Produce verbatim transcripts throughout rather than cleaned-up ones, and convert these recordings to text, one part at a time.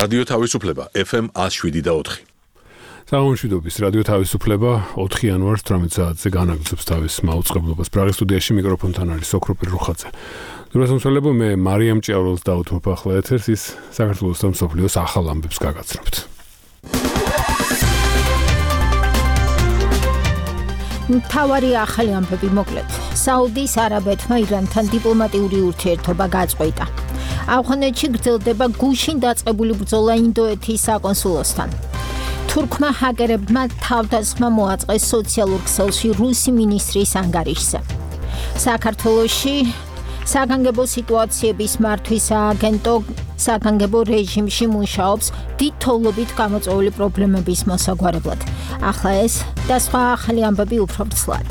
რადიო თავისუფლება ეფ ემ one oh seven და four. Საუნშვიდობის რადიო თავისუფლება ოთხი იანვარს თვრამეტ საათზე განაგრძობს თავის მაუწყებლობას. პრაღის სტუდიაში მიკროფონთან არის ოქროპირ რუხაძე. დროსამსვლებო მე მარიამ ჭიაურელს დავუთმობ ახლა ეთერს, ის საქართველოს და მსოფლიოს ახალ ამბებს გაგაცნობთ. მთავარი ახალი ამბები მოკლედ. საუდის არაბეთმა ირანთან დიპლომატიური ურთიერთობა გაწყვეტა. ავღანეთში გრძელდება გუშინ დაწყებული ბრძოლა ინდოეთის საკონსულოსთან. თურქმა ჰაკერებმა თავდასხმა მოაწყეს სოციალურ ქსელში რუსი მინისტრის ანგარიშზე. საქართველოში საგანგებო სიტუაციების მართვის სააგენტო საგანგებო რეჟიმში მუშაობს დიდ თოვლობით გამოწვეული პრობლემების მოსაგვარებლად. ახლა ეს და სხვა ახალი ამბები უფრო ცვლად.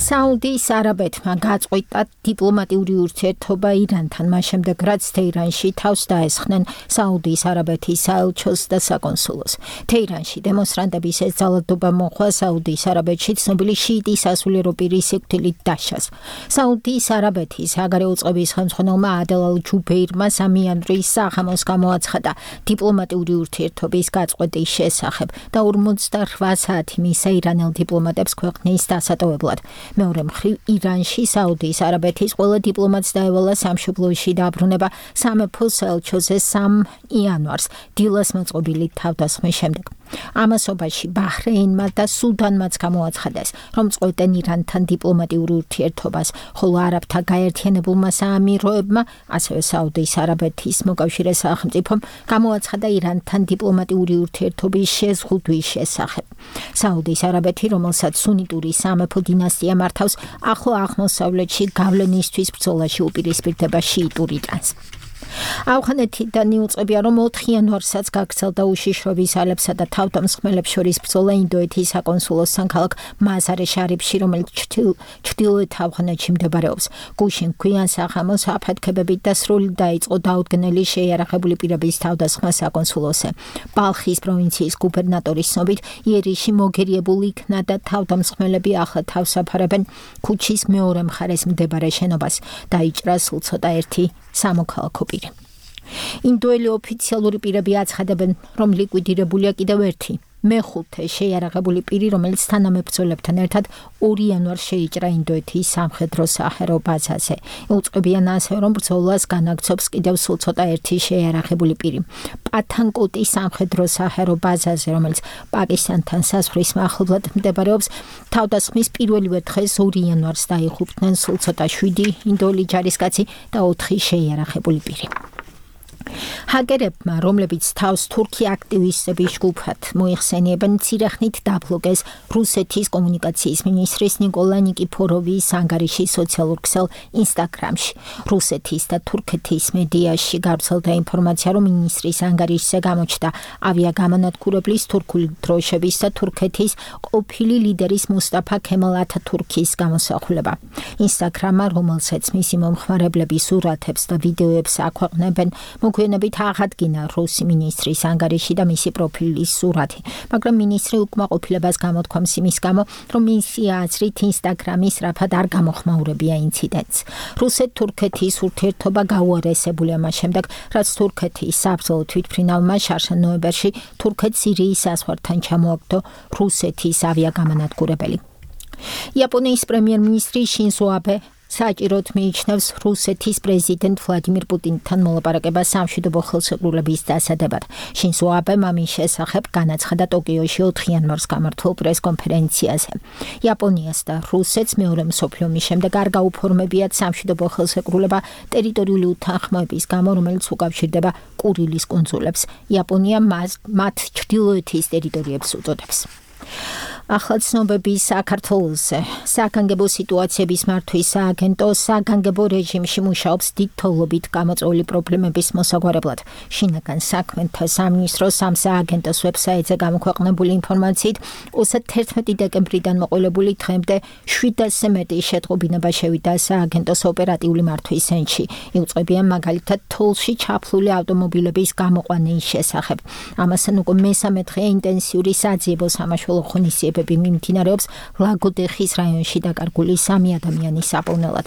საუდის არაბეთმა გაწყვეტა დიპლომატიური ურთიერთობა ირანთან, მას შემდეგ რაც თეირანში თავს დაესხნენ საუდის არაბეთის საელჩოს და საკონსულოს. თეირანში დემონსტრანტების ეს ძალადობა მოხდა საუდის არაბეთში ცნობილი შიიტი სასულიერო პირის სიკვდილით დაშას. საუდის არაბეთის საგარეო წყობის ხელმძღვანელმა ადელ ალ-ჯუბეირმა სამიანვრის საღამოს გამოაცხადა დიპლომატიური ურთიერთობის გაწყვეტის შესახებ და ორმოცდაოთხ საათი მისცა ირანელ დიპლომატებს ქვეყნის დასატოვებლად. მეორე მხრივ ირანში საუდის არაბეთის ყველა დიპლომატს დაევალა სამშობლოში დაბრუნება სამეფო საელჩოზე სამ იანვარს დილას მოწყობილი თავდასხმის შემდეგ. ამასობაში ბაჰრეინმა და სუდანმაც გამოაცხადეს, რომ წყვეტენ ირანთან დიპლომატიურ ურთიერთობას, ხოლო არაბთა გაერთიანებულმა საამიროებმა, ასევე საუდის არაბეთის მოკავშირე სახელმწიფომ გამოაცხადა ირანთან დიპლომატიური ურთიერთობის შეზღუდვის შესახებ. საუდის არაბეთი, რომელსაც სუნიტური სამეფო დინასტია მართავს, ახლო აღმოსავლეთში გავლენისთვის ბრძოლაში უპირისპირდება შიიტურ ირანს. ავღანეთიდან იუწყებია, რომ ოთხ იანვარსაც გაგრძელდა უშიშროების ალებსა და თავდამსხმელებს შორის ბრძოლა ინდოეთის საკონსულოსთან ქალაქ მაზარე შარიფში, რომელიც ჩრდილოეთ ავღანეთში მდებარეობს. გუშინ გვიან საღამოს აფეთქებებით დასრული დაიწყო დაუდგენელი შეიარაღებული პირების თავდასხმა საკონსულოსზე. ბალხის პროვინციის გუბერნატორის ცნობით, იერიში მოგერიებული იქნა და თავდამსხმელები ახლა თავს აფარებენ ქუჩის მეორე მხარეს მდებარე შენობას. დაიჭრა სულ ცოტა ერთი სამოქალაქო პირი. ინდოელი ოფიციალური პირები აცხადებენ, რომ ლიკვიდირებულია კიდევ ერთი მეხუთე შეიარაღებული პირი, რომელიც თანამებრძოლებთან ერთად ორი იანვარს შეიჭრა ინდოეთის სამხედრო საჰაერო ბაზაზე. იუწყებიან ასევე, რომ ბრძოლას განაგრძობს კიდევ სულ ცოტა ერთი შეიარაღებული პირი. პათანკოტის სამხედრო საჰაერო ბაზაზე, რომელიც პაკისტანთან საზღვრის მახლობლად მდებარეობს, თავდასხმის პირველივე დღეს ორი იანვარს დაიღუპნენ სულ ცოტა შვიდი ინდოელი ჯარისკაცი და ოთხი შეიარაღებული პირი. ჰაკერებმა, რომლებიც თავს თურქი აქტივისტების ჯგუფად მოიხსენიებენ, მცირე ხნით დაბლოკეს რუსეთის კომუნიკაციის მინისტრის ნიკოლა ნიკიფოროვის ანგარიში სოციალურ ქსელ ინსტაგრამში. რუსეთის და თურქეთის მედიაში გავრცელდა ინფორმაცია, რომ მინისტრის ანგარიშზე გამოჩნდა ავიაგამანადგურებლის თურქული დროშების და თურქეთის ყოფილი ლიდერის მუსტაფა ქემალ ათათურქის გამოსახულება. ინსტაგრამმა, რომელსაც მისი მომხმარებლები სურათებს და ვიდეოებს აქვეყნებენ, მოგვიანებით აღადგინა რუსი მინისტრის ანგარიში და მისი პროფილის სურათი, მაგრამ მინისტრი უკმაყოფილებას გამოთქვამს იმის გამო, რომ მისი აზრით ინსტაგრამის რაფად არ გამოხმაურებია ინციდენტს. რუსეთ-თურქეთის ურთიერთობა გაუარესებულია მას შემდეგ, რაც თურქეთის საბრძოლო თვითმფრინავმა შარშა ნოემბერში თურქეთ-სირიის საზღვართან ჩამოაგდო რუსეთის ავიაგამანადგურებელი. იაპონიის პრემიერ-მინისტრი შინზო აბე საჭიროდ მიიჩნევს რუსეთის პრეზიდენტ ვლადიმირ პუტინთან მოლაპარაკებას სამშვიდობო ხელშეკრულების დასადებად. შინზო აბემ ამის შესახებ განაცხადა ტოკიოში ოთხ იანვარს გამართულ პრესკონფერენციაზე. იაპონიას და რუსეთს მეორე მსოფლიო ომის შემდეგ არ გაუფორმებიათ სამშვიდობო ხელშეკრულება ტერიტორიული უთანხმოების გამო, რომელიც უკავშირდება კურილის კუნძულებს. იაპონია მათ ჩრდილოეთის ტერიტორიებს უწოდებს. ახლა ცნობები საქართველოზე. საგანგებო სიტუაციების მართვის სააგენტო საგანგებო რეჟიმში მუშაობს დიდ თოვლობით გამოწვეული პრობლემების მოსაგვარებლად. შინაგან საქმეთა სამინისტროს ამ სააგენტოს ვებსაიტზე გამოქვეყნებული ინფორმაციით, ოცდათერთმეტი დეკემბრიდან მოყოლებული დღემდე შვიდასზე მეტი შეტყობინება შევიდა სააგენტოს ოპერატიული მართვის ცენტრში. იუწყებიან მაგალითად თოვლში ჩაფლული ავტომობილების გამოყვანის შესახებ. ამასთან უკვე მესამე დღე ინტენსიური საძიებო სამაშველო ღონისძიებები მიმდინარეობს ლაგოდეხის რაიონში დაკარგული სამი ადამიანის საპოვნელად.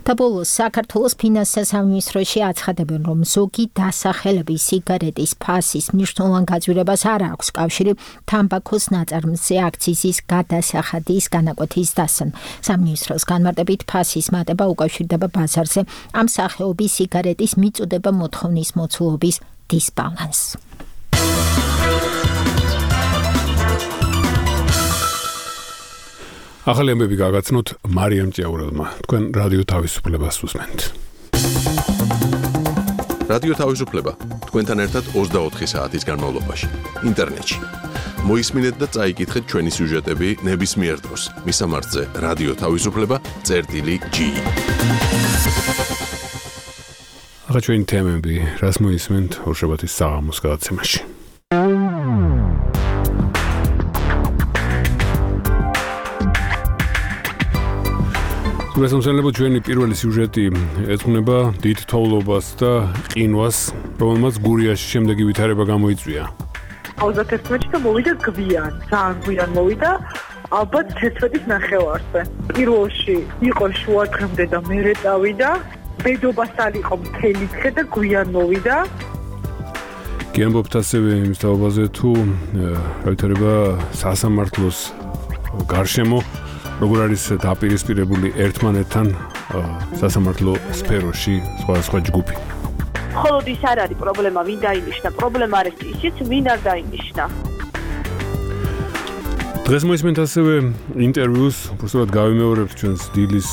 და ბოლოს საქართველოს ფინანსთა სამინისტროში აცხადებენ, რომ ზოგი დასახელების სიგარეტის ფასის მნიშვნელოვან გაძვირებას არ აქვს კავშირი თამბაქოს ნაწარმზე აქციზის გადასახადის განაკვეთის დასთან. სამინისტროს განმარტებით ფასის მატება უკავშირდება ბაზარზე ამ სახეობის სიგარეტის მიწოდება მოთხოვნის მოცულობის დისბალანსს. ახალი ამბები გაგაცნოთ მარიამ ჭიაურელმა. თქვენ რადიო თავისუფლებას უსმენთ. რადიო თავისუფლება თქვენთან ერთად ოცდაოთხი საათის განმავლობაში ინტერნეტში. მოისმინეთ და წაიკითხეთ ჩვენი სიუჟეტები ნებისმიერ დროს. მისამართზე რადიო თავისუფლება წერტილი ჯი. ახლა ჩვენი თემები, რას მოისმენთ ორშაბათის საღამოს გადაცემაში. გასამსალებო ჩვენი პირველი სიუჟეტი ეძღვნება დიდ თოვლობას და ყინვას, რომელმაც გურიაში შემდეგი ვითარება გამოიწვია. ოცდაერთი და მოვიდა გვიან, ძალიან გვიან მოვიდა, ალბათ თერთმეტის ნახევარზე. პირველში იყო შუა დღემდე და მერე წავიდა, ბედობასთან იყო მთელი დღე და გვიან მოვიდა. გიამბობთ ასევე იმის თაობაზე თუ რა ვითარება სასამართლოს გარშემო როგორ არის დაპირისპირებული ერთმანეთთან სასამართლო სფეროში სხვადასხვა ჯგუფი. მხოლოდ ის არ არის პრობლემა, ვინ დაინიშნა, პრობლემა არის ისიც, ვინ არ დაინიშნა. დღეს მოისმენთ ასევე ინტერვიუს, უბრალოდ გავიმეორებთ ჩვენს დილის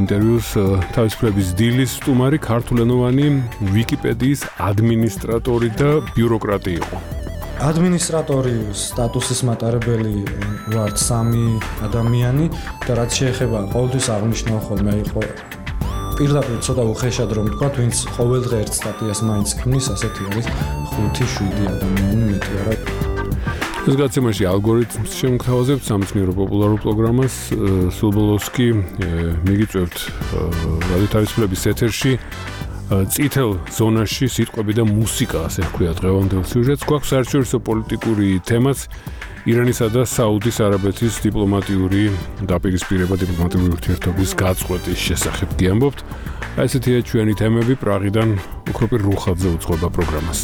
ინტერვიუს, თავისუფლების დილის სტუმარი ქართულენოვანი ვიკიპედიის ადმინისტრატორი და ბიუროკრატი იყო. ადმინისტრატორი სტატუსის მატარებელი ვარ სამი ადამიანი და რაც შეეხება ყოველთვის აღნიშნავ ხოლმე იყო პირდაპირ ცოტა უხეშად რომ თქვა, ვინც ყოველ დღე ერთ სტატიას მაინც ქმნის, ასეთი არის ხუთი შვიდი ადამიანი მეტი არა. ეს გადაცემაში ალგორითმს შემოგთავაზებთ სამეცნიერო პოპულარულ პროგრამას, სულ ბოლოს კი მიგიწევთ რადიო თავისუფლების ეთერში წითელ ზონაში სიტყვები და მუსიკა, ასე ვქვია დღევანდელ სიუჟეტს. გვაქვს საერთაშორისო პოლიტიკური თემაც, ირანისა და საუდის არაბეთის დიპლომატიური დაპირისპირება, დიპლომატიური ურთიერთობის გაწყვეტის შესახებ გიამბობთ. ესეთია ჩვენი თემები, პრაღიდან უქროპირ რუხაძე უძღვება პროგრამას.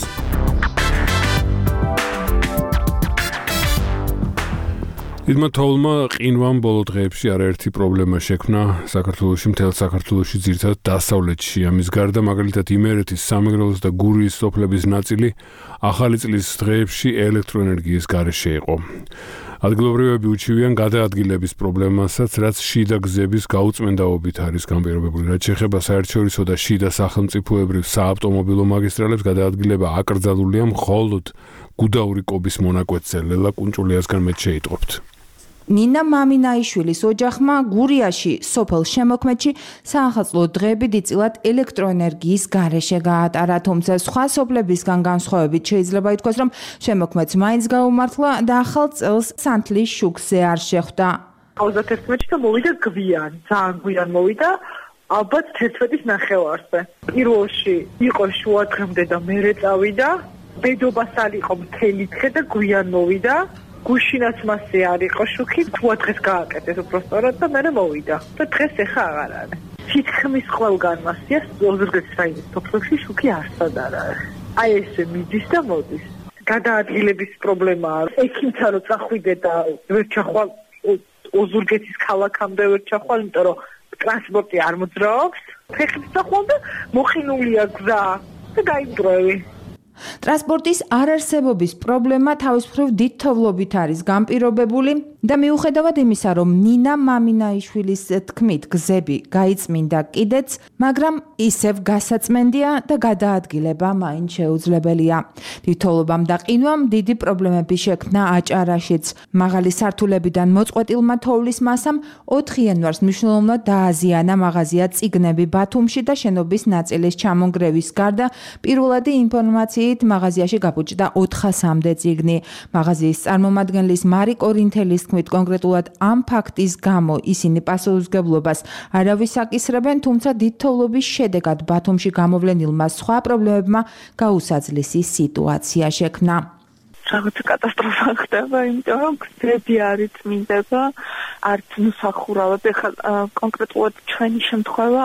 დიდმა თოვლმა ყინვამ ბოლო დღეებში არაერთი პრობლემა შექმნა საქართველოში, მთელ საქართველოში, ძირითადად დასავლეთში. ამის გარდა მაგალითად იმერეთის, სამეგრელოს და გურიის სოფლების ნაწილი ახალი წლის დღეებში ელექტროენერგიის გარეშე იყო. ადგილობრივები უჩივიან გადაადგილების პრობლემასაც, რაც შიდა გზების გაუწმენდაობით არის განპირობებული. რაც შეეხება საერთაშორისო და შიდა სახელმწიფოებრივ საავტომობილო მაგისტრალებს, გადაადგილება აკრძალულია მხოლოდ გუდაური კობის მონაკვეთზე. ლელა კუნჭულიასგან მეც შეიტყობთ. ნინა მამინაიშვილის ოჯახმა გურიაში სოფელ შემოქმედში საახალწლო დღეები დიდწილად ელექტროენერგიის გარეშე გაატარა, თუმცა სხვა სოფლებისგან განსხვავებით შეიძლება ითქვას, რომ შემოქმედს მაინც გაუმართლა და ახალ წელს სანთლის შუქზე არ შეხვდა. ოცდაერთი და მოვიდა გვიან, ძალიან გვიან მოვიდა, ალბათ თერთმეტის ნახევარზე. პირველში იყო შუა დღემდე და მერე წავიდა, ბედობასთან იყო მთელი დღე და გვიან მოვიდა. გუშინაც მასზე არ იყო შუქი, თუა დღეს გააკეთეს უბრალოდ და მერე მოვიდა. და დღეს ეხა აღარ არის. თითქმის ყველგან მასია ოზურგეთის რაიონის სოფლებში შუქი არსად არ არის. აი ესე მიდის და მოდის. გადაადგილების პრობლემაა. ექიმთან რო წახვიდე და ვერ ჩახვალ ოზურგეთის ქალაქამდე ვერ ჩახვალ, იმიტომ რომ ტრანსპორტი არ მოძრაობს. ფეხით წახვიდე და მოხინულია გზა და გაიმტრევი. ტრანსპორტის არარსებობის პრობლემა თავისუფლად დიდ თოვლობით არის განპირობებული და მიუხედავად იმისა, რომ ნინა მამინაიშვილის თქმით გზები გაიწმინდა კიდეც, მაგრამ ისევ გასაწმენდია და გადაადგილება მაინც შეუძლებელია. დიდ თოვლობამ და ყინვამ დიდი პრობლემები შექმნა აჭარაშიც. მაღალი სართულებიდან მოწყვეტილმა თოვლის მასამ ოთხი იანვარს მნიშვნელოვნად დააზიანა მაღაზია წიგნები ბათუმში და შენობის ნაწილის ჩამონგრევის გარდა პირველადი ინფორმაციით მაღაზიაში გაბუჭდა ოთხასამდე წიგნი. მაღაზიის წარმომადგენლის მარი კორინთელის თქმით, კონკრეტულად ამ ფაქტის გამო ისინი პასუხისმგებლობას არავის აკისრებენ, თუმცა დიდ თოვლობის შედეგად ბათუმში გამოვლენილმა სხვა პრობლემებმა გაუსაძლისი სიტუაცია შექმნა. რაღაცა კატასტროფა ხდება, იმიტომ რომ გზები არ იწმინდება, არც მოსახურავად. ეხლა კონკრეტულად ჩვენი შემთხვევა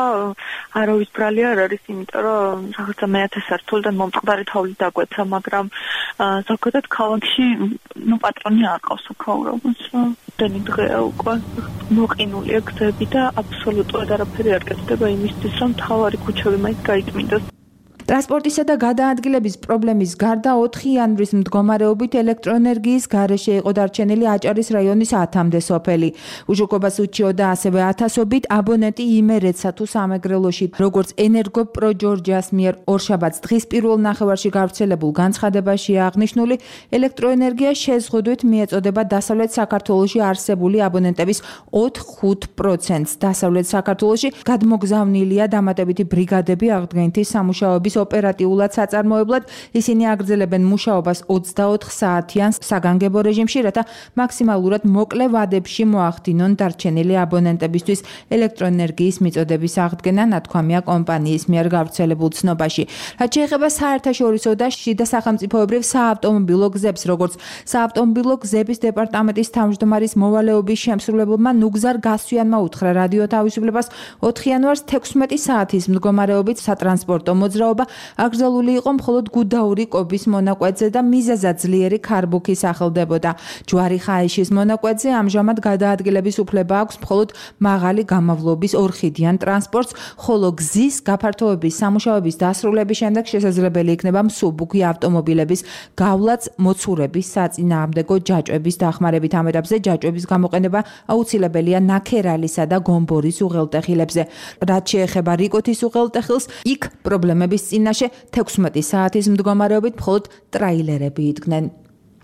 არავის ბრალი არ არის, იმიტომ რომ რაღაცა მეათე სართულიდან მომწყდარი თოვლი დაგვეცა, მაგრამ ზოგადად ქალაქში ნუ პატრონი არ ყავს აქაურობას. დენი დღეა უკვე მოყინულია გზები და აბსოლუტურად არაფერი არ გეცდება იმისთვის, რომ მთავარი ქუჩები მაინც გაიწმინდოს. ტრანსპორტისა და გადაადგილების პრობლემის გარდა ოთხი იანვრის მდგომარეობით ელექტროენერგიის გარეშე იყო დარჩენილი აჭარის რაიონის ათამდე სოფელი. უშუქობას უჩიოდა ასევე ათასობით აბონენტი იმერეთსა თუ სამეგრელოში. როგორც ენერგოპრო ჯორჯიას მიერ ორშაბათს დღის პირველ ნახევარში გავრცელებულ განცხადებაშია აღნიშნული, ელექტროენერგია შეზღუდვით მიეწოდება დასავლეთ საქართველოში არსებული აბონენტების ოთხ-ხუთ პროცენტს. დასავლეთ საქართველოში გადმოგზავნილია დამატებითი ბრიგადები აღდგენითი სამუშაოების ოპერატიულად საწარმოებლად. ისინი აგრძელებენ მუშაობას ოცდაოთხ საათიან საგანგებო რეჟიმში, რათა მაქსიმალურად მოკლე ვადებში მოახდინონ დარჩენილი აბონენტებისთვის ელექტროენერგიის მიწოდების აღდგენა, ნათქვამია კომპანიის მიერ გავრცელებულ ცნობაში. რაც შეეხება საერთაშორისო და შიდა სახელმწიფოებრივ საავტომობილო გზებს, როგორც საავტომობილო გზების დეპარტამენტის თავმჯდომარის მოვალეობის შემსრულებელმა ნუგზარ გასვიანმა უთხრა რადიო თავისუფლებას ოთხი იანვარს თექვსმეტი საათის მდგომარეობით სატრანსპორტო მოძრაობა აკრძალული იყო მხოლოდ გუდაური კობის მონაკვეთზე და მიზეზად ძლიერი ქარბუქი სახელდებოდა. ჯვარი ხაიშის მონაკვეთზე ამჟამად გადაადგილების უფლება აქვს მხოლოდ მაღალი გამავლობის ორხიდიან ტრანსპორტს, ხოლო გზის გაფართოების სამუშაოების დასრულების შემდეგ შესაძლებელი იქნება მსუბუქი ავტომობილების გავლაც მოცურების საწინააღმდეგო ჯაჭვების დახმარებით. ამ ეტაპზე ჯაჭვების გამოყენება აუცილებელია ნაქერალისა და გომბორის უღელტეხილებზე. რაც შეეხება რიკოთის უღელტეხილს, იქ პრობლემების წინაშე თექვსმეტი საათის მდგომარეობით მხოლოდ ტრაილერები იდგნენ.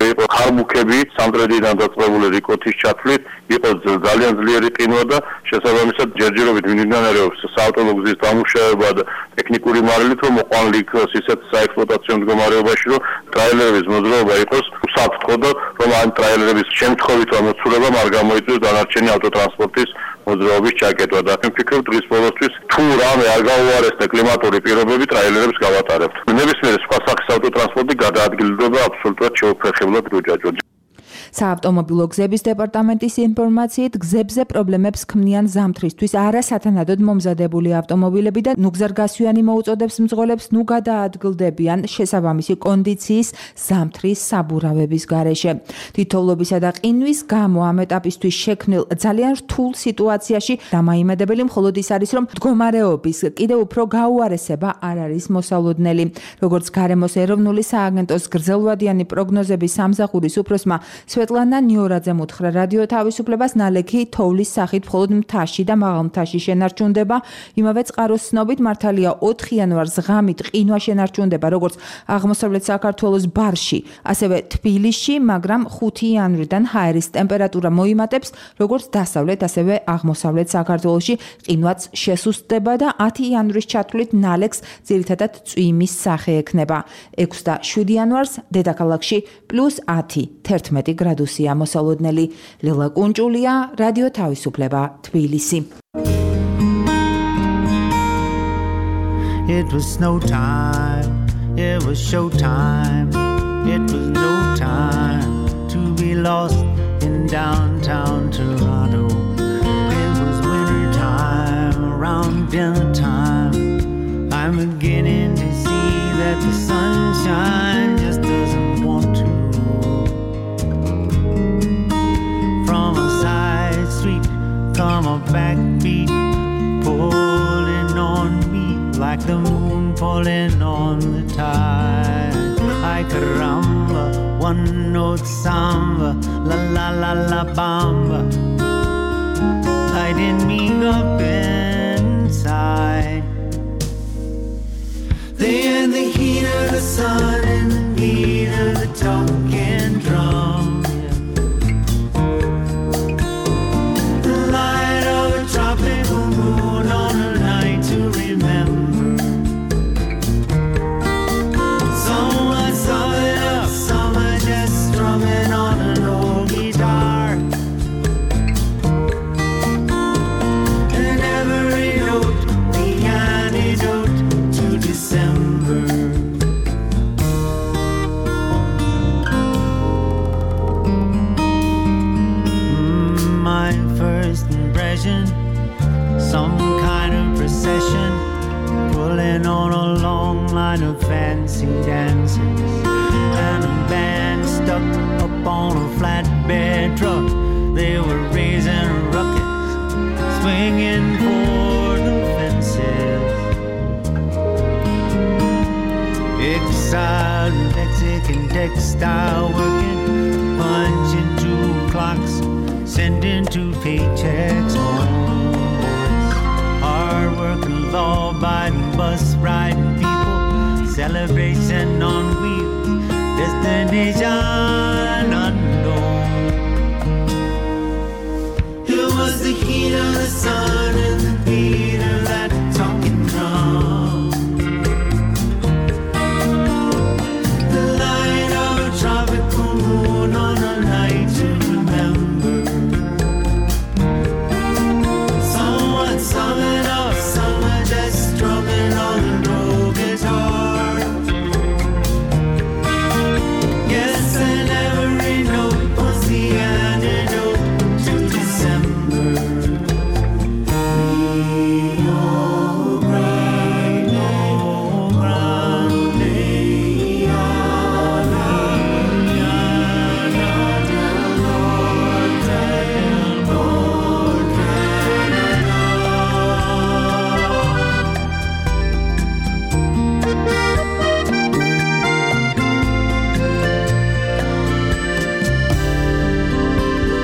იყო ხარბუქები სამტრედიდან დაწყებული რიკოთის ჩათვლით, იყო ძალიან ძლიერი ყინვა და შესაბამისად ჯერჯერობით მიმდინარეობს საავტომობილო გზის დამუშავება და ტექნიკური მარილით, რომ მოყვანილი იქნას ისეთ საექსპლუატაციო მდგომარეობაში, რომ ტრაილერების მოძრაობა იყოს უსაფრთხო და რომ ამ ტრაილერების შემთხვევით ამოცურებამ არ გამოიწვიოს დანარჩენი ავტოტრანსპორტის მოძრაობის ჩაკეტვა და მე ვფიქრობ დღის ბოლოსთვის თუ რამე არ გაუარესდა კლიმატური პირობები ტრაილერებს გავატარებთ. ნებისმიერ სხვა სახის ავტოტრანსპორტი გადაადგილდება აბსოლუტურად შეუფერხებლად როჯაჯოდ. საავტომობილო გზების დეპარტამენტის ინფორმაციით გზებზე პრობლემებს ქმნიან ზამთრისთვის არასათანადოდ მომზადებული ავტომობილები და ნუგზარგასვიანი მოუწოდებს მძღოლებს ნუ გადაადგილდებიან შესაბამისი კონდიციის ზამთრის საბურავების გარეშე. თითოეულობისა და ყინვის გამო ამ ეტაპისთვის შექმნილ ძალიან რთულ სიტუაციაში დამაიმედებელი მხოლოდ ის არის, რომ მდგომარეობის კიდევ უფრო გაუარესება არ არის მოსალოდნელი. როგორც გარემოს ეროვნული სააგენტოს გრძელვადიანი პროგნოზების სამსახურის უფროსმა სვეტლანა ნიორაძემ უთხრა რადიო თავისუფლებას, ნალექი თოვლის სახით მხოლოდ მთაში და მაღალ მთაში შენარჩუნდება. იმავე წყაროს ცნობით მართალია ოთხი იანვარს ღამით ყინვა შენარჩუნდება როგორც აღმოსავლეთ საქართველოს ბარში, ასევე თბილისში, მაგრამ ხუთი იანვრიდან ჰაერის ტემპერატურა მოიმატებს როგორც დასავლეთ, ასევე აღმოსავლეთ საქართველოში ყინვაც შესუსტდება და ათი იანვრის ჩათვლით ნალექს ძირითადად წვიმის სახე ექნება. ექვსი და შვიდი იანვარს დედაქალაქში პლუს ათი, თერთმეტი გრადუსია მოსალოდნელი. ლელა კუნჭულია, რადიო თავისუფლება, თბილისი. It was snow time, it was show time, it was no time to be lost in downtown Toronto. It was winter time, around dinner time. I'm beginning to see that the sunshine just doesn't want to. From a side street come a backbeat pulling on me like the moon falling on the tide. Ay caramba, one note samba, la la la la bamba, lighting me up inside. They had the heat of the sun and the beat of the talking drum. Tropical moon on a night to remember. Someone sum it up, someone just strumming on an old guitar. And every note, the antidote to December. dancing dances and a band stuck up on a flatbed truck. They were raising ruckus, swinging for the fences. Exiled Mexican textile working, punching two clocks, sending two paychecks home. Hard-working, law-abiding, bus-riding people, celebration on wheels, destination unknown. It was the heat of the sun and the beat of that talking drum. The light of a tropical moon on a night to remember. Someone summing up, someone just strumming on a low guitar. Yes, and every note was the antidote to December. Rio Grande, Grande,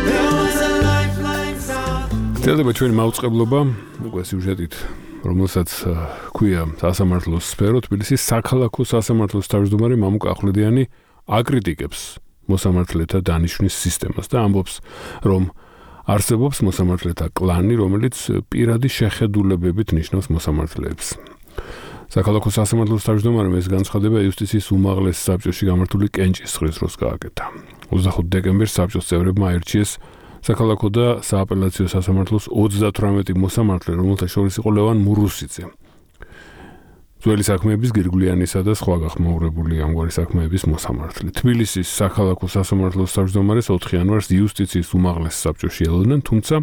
there was a lifeline sound. წელდება ჩვენი მაუწყებლობა, უკვე სიუჟეტით, რომელსაც ქვია სასამართლოს სფერო, თბილისის საქალაქო სასამართლოს თავმჯდომარე მამუკ ახვლედიანი აკრიტიკებს მოსამართლეთა დანიშვნის სისტემას და ამბობს, რომ არსებობს მოსამართლეთა კლანი, რომელიც პირადი შეხედულებებით ნიშნავს მოსამართლეებს. საქალაქო სასამართლოს თავმჯდომარემ ეს განცხადება იუსტიციის უმაღლეს საბჭოში გამართული კენჭისყრის დროს გააკეთა. ოცდახუთი დეკემბერს საბჭოს წევრებმა აირჩიეს საქალაქო და სააპელაციო სასამართლოს ოცდათვრამეტი მოსამართლე, რომელთა შორის იყო ლევან მურუსიძე. ძველი საქმეების გირგვლიანისა და სხვა გახმაურებული ამგვარი საქმეების მოსამართლე. თბილისის საქალაქო სასამართლოს თავმჯდომარეს ოთხი იანვარს იუსტიციის უმაღლეს საბჭოში ელოდნენ, თუმცა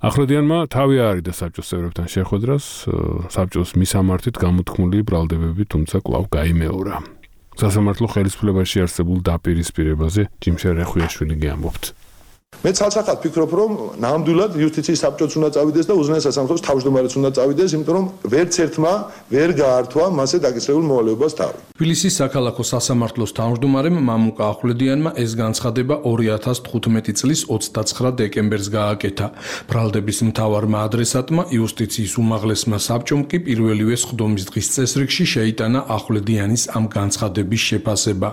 ახვლედიანმა თავი აარიდა საბჭოს წევრებთან შეხვედრას, საბჭოს მისამართით გამოთქმული ბრალდებები, თუმცა კვლავ გაიმეორა. სასამართლო ხელისუფლებაში არსებულ დაპირისპირებაზე ჯიმშე რეხვიაშვილი გეამბობთ. მე ცალსახად ვფიქრობ, რომ ნამდვილად იუსტიციის საბჭოც უნდა წავიდეს და უზენაეს სასამართლოს თავმჯდომარეც უნდა წავიდეს, იმიტომ რომ ვერც ერთმა ვერ გაართვა მასზე დაკისრებულ მოვალეობას თავი. თბილისის საქალაქო სასამართლოს თავმჯდომარემ მამუკა ახვლედიანმა ეს განცხადება ორი ათას თხუთმეტი წლის ოცდაცხრა დეკემბერს გააკეთა. ბრალდების მთავარმა ადრესატმა იუსტიციის უმაღლესმა საბჭომ კი პირველივე სხდომის დღის წესრიგში შეიტანა ახვლედიანის ამ განცხადების შეფასება,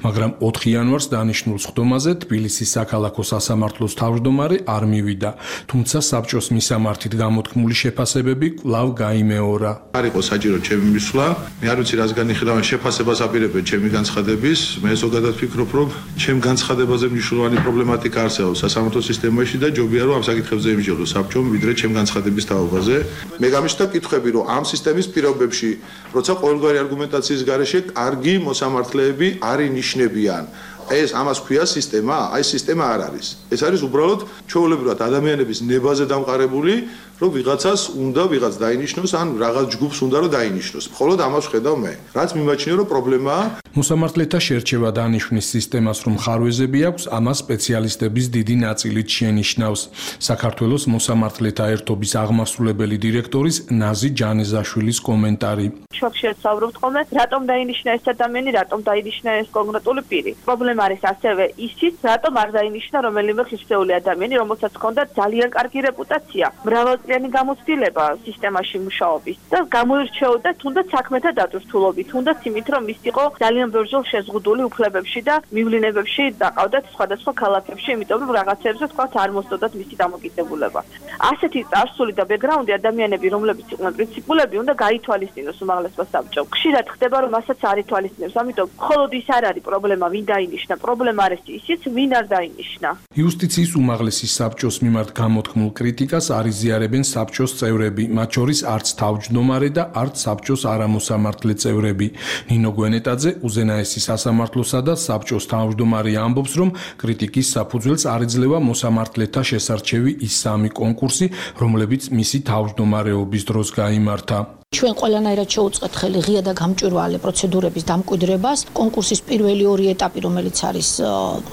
მაგრამ ოთხი იანვარს დანიშნულ სხდომაზე თბილისის საქალაქო სასამართლოს თავმჯდომარე არ მივიდა, თუმცა საბჭოს მისამართით გამოთქმული შეფასებები კვლავ გაიმეორა. არ იყო საჭირო ჩემი მისვლა, მე არ ვიცი რას განიხილავენ შეფასებას აპირებენ ჩემი განცხადების, მე ზოგადად ვფიქრობ, რომ ჩემ განცხადებაზე მნიშვნელოვანი პრობლემატიკა არსებობს სასამართლო სისტემაში და ჯობია რომ ამ საკითხებზე იმსჯელოს საბჭომ, ვიდრე ჩემ განცხადების თაობაზე. მე გამიშთა კითხვები, რომ ამ სისტემის პირობებში, როცა ყოველგვარი არგუმენტაციის გარეშე კარგი მოსამართლეები არ ინიშნებიან. ეს ამას ქვია სისტემა, აი სისტემა არ არის. ეს არის უბრალოდ ჩვეულებრივად ადამიანების ნებაზე დამყარებული, რომ ვიღაცას უნდა ვიღაც დაინიშნოს, ან რაღაც ჯგუფს უნდა რომ დაინიშნოს. მხოლოდ ამას ვხედავ მე. რაც მიმაჩნია რომ პრობლემაა. მოსამართლეთა შერჩევა დანიშვნის სისტემას რომ ხარვეზები აქვს, ამას სპეციალისტების დიდი ნაწილით შენიშნავს. საქართველოს მოსამართლეთა ერთობის აღმასრულებელი დირექტორის ნაზი ჯანეზაშვილის კომენტარი. შოქშეთ საუბრობთ ხოლმე, რატომ დაინიშნა ეს ადამიანი, რატომ დაინიშნა ეს კონკრეტული პირი. პრობლემა არის ასევე ისიც, რატომ არ დაინიშნა რომელიმე ხისეული ადამიანი, რომელსაც ჰქონდა ძალიან კარგი რეპუტაცია, მრავალწლიანი გამოცდილება სისტემაში მუშაობის და გამოირჩეოდა თუნდაც საქმეთა დატვირთულობით, თუნდაც იმით, რომ ის იყო ძალიან ბევრჯერ შეზღუდული უფლებებში და მივლინებებში დაყავდათ სხვადასხვა ქალაქებში, იმიტომ რომ რაღაცებზე თქვათ არ მოსდოდათ მისი დამოკიდებულება. ასეთი წარსული და ბექგრაუნდი ადამიანები, რომლებიც იყვნენ პრინციპულები, უნდა გაითვალისწინოს უმაღლესმა საბჭომ. ხშირად ხდება, რომ ასაც არ ითვალისწინებს, ამიტომ მხოლოდ ის არ არის პრობლემა, ვინ დაინიშნა, პრობლემა არის ისიც, ვინ არ დაინიშნა. იუსტიციის უმაღლესი საბჭოს მიმართ გამოთქმულ კრიტიკას არ იზიარებენ საბჭოს წევრები, მათ შორის არც თავმჯდომარე და არც საბჭოს არამოსამართლე წევრები. ნინო გვენეტაძე უზენაესი სასამართლოსა და საბჭოს თავმჯდომარე ამბობს, რომ კრიტიკის საფუძველს არ იძლევა მოსამართლეთა შესარჩევი ის სამი კონკურსი, რომლებიც მისი თავმჯდომარეობის დროს გაიმართა. ჩვენ ყველანაირად შევუწყეთ ხელი ღია და გამჭვირვალე პროცედურების დამკვიდრებას. კონკურსის პირველი ორი ეტაპი, რომელიც არის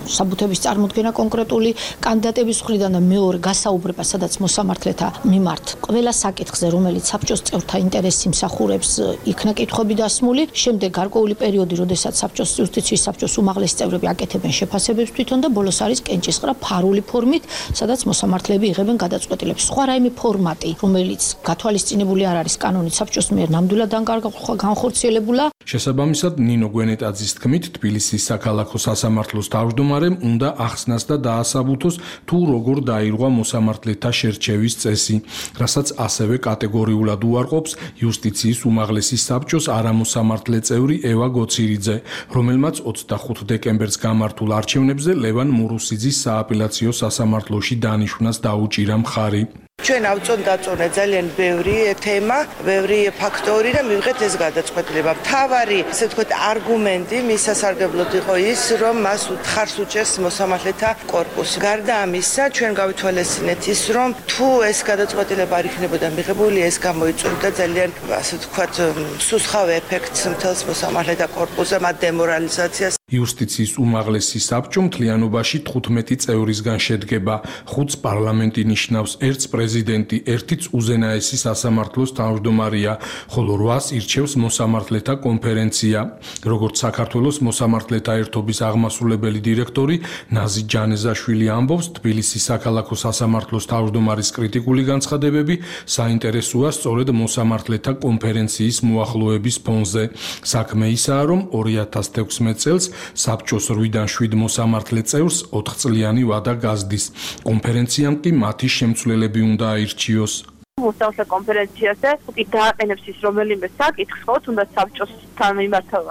საბუთების წარმოქმნა კონკრეტული კანდიდატების მხრიდან და მეორე გასაუბრება, სადაც მოსამართლეთა მიმართ ყველა საკითხზე, რომელიც საბჭოს წევრთა ინტერესს იმსახურებს, იქნა კითხვები დასმული. შემდეგ გარკვეული პერიოდი, როდესაც საბჭოს იუსტიციის საბჭოს უმაღლესი წევრები აკეთებენ შეფასებებს თვითონ და ბოლოს არის კენჭისყრა ფარული ფორმით, სადაც მოსამართლეები იღებენ გადაწყვეტილებს. სხვა რაიმე ფორმატი, რომელიც გათვალისწინებული არ არის კანონით საბჭოს მიერ ნამდვილად განხორციელებულა. შესაბამისად, ნინო გვენეტაძის თქმით, თბილისის საქალაქო სასამართლოს თავმჯდომარემ უნდა ახსნას და დაასაბუთოს თუ როგორ დაირღვა მოსამართლეთა შერჩევის წესი, რასაც ასევე კატეგორიულად უარყოფს იუსტიციის უმაღლესი საბჭოს არამოსამართლე წევრი ევა გოცირიძე, რომელმაც ოცდახუთ დეკემბერს გამართულ არჩევნებზე ლევან მურუსიძის სააპელაციო სასამართლოში დანიშვნას დაუჭირა მხარი. ჩვენ ავწონ დაწონე ძალიან ბევრი თემა, ბევრი ფაქტორი და მივიღეთ ეს გადაწყვეტილება. მთავარი, ასე ვთქვათ, არგუმენტი მის სასარგებლოდ იყო ის, რომ მას უთხარს უჭერს მოსამართლეთა კორპუსი. გარდა ამისა, ჩვენ გავითვალისწინეთ ის, რომ თუ ეს გადაწყვეტილება არ იქნებოდა მიღებული, ეს გამოიწვევდა ძალიან, ასე ვთქვათ, სუსხავ ეფექტს მთელს მოსამართლეთა კორპუსზე, მათ დემორალიზაციას. იუსტიციის უმაღლესი საბჭო მთლიანობაში თხუთმეტი წევრისგან შედგება. ხუთს პარლამენტი ნიშნავს, ერთს პრეზიდენტი, ერთიც უზენაესი სასამართლოს თავმჯდომარეა, ხოლო რვას ირჩევს მოსამართლეთა კონფერენცია. როგორც საქართველოს მოსამართლეთა ერთობის აღმასრულებელი დირექტორი ნაზი ჯანეზაშვილი ამბობს, თბილისის საქალაქო სასამართლოს თავმჯდომარის კრიტიკული განცხადებები საინტერესოა სწორედ მოსამართლეთა კონფერენციის მოახლოების ფონზე. საქმე ისაა, რომ ორი ათას თექვსმეტ წელს საბჭოს რვიდან შვიდ მოსამართლე წევრს ოთხწლიანი ვადა გაზდის. კონფერენციამ კი მათი შემცვლელები უნდა აირჩიოს. მოსამართლე კონფერენციაზე კი დააყენებს ის რომელიმე საკითხს, ხო, თუნდაც საბჭოსთან მიმართავ.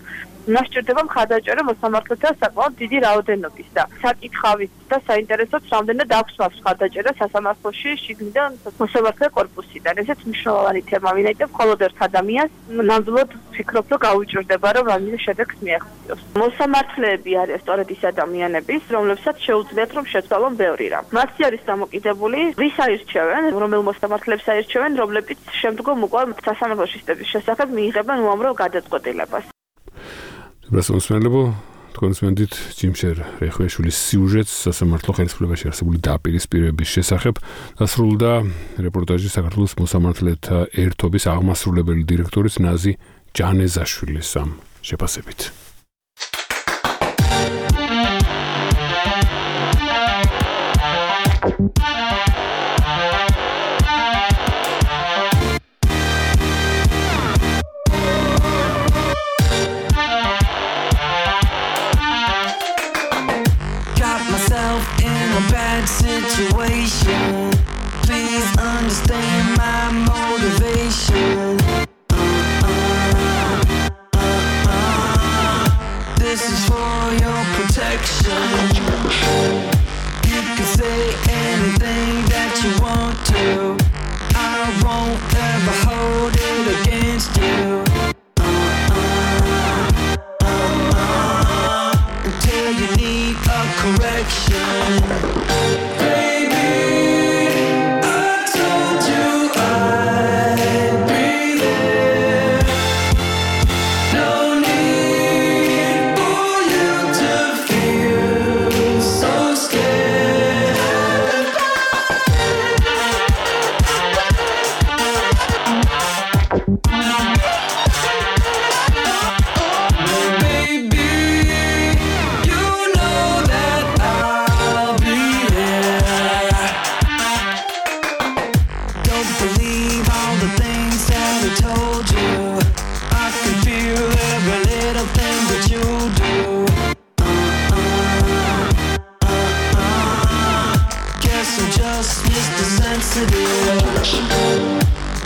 ნასჭირდება მხარდაჭერა მოსამართლეთა საკმაოდ დიდი რაოდენობის და საკითხავით და საინტერესოდ რამდენად აქვს მას მხარდაჭერა სასამართლოში შიგნიდან მოსამართლე კორპუსიდან. ესეც მნიშვნელოვანი თემა, ვინაიდან მხოლოდ ერთ ადამიანს ნამდვილად ფიქრობ, რომ გაუჭირდება, რომ რამე შედეგს მიაღწიოს. მოსამართლეები არიან სწორედ ის ადამიანები, რომლებსაც შეუძლიათ რომ შეცვალონ ბევრი რამ. მათი არის დამოკიდებული, ვის აირჩევენ, რომელ მოსამართლეებს აირჩევენ, რომლებიც შემდგომ უკვე სასამართლო სისტემის შესახებ მიიღებენ უამრავ გადაწყვეტილებას. ბრასმოსმელებო თქვენს მენდით ჯიმშერ რეხვეშვილის სიუჟეტს სასამართლო ხელისუფლებაში არსებული დაპირისპირების შესახებ დასრულდა რეპორტაჟი საქართველოს მოსამართლეთა ერთობის აღმასრულებელი დირექტორის ნაზი ჯანეზაშვილის ამ შეფასებით. Situation, please understand my motivation. Uh, uh, uh, uh. This is for your protection. You can say anything that you want to. I won't ever hold it against you. Uh, uh, uh, uh. Until you need a correction.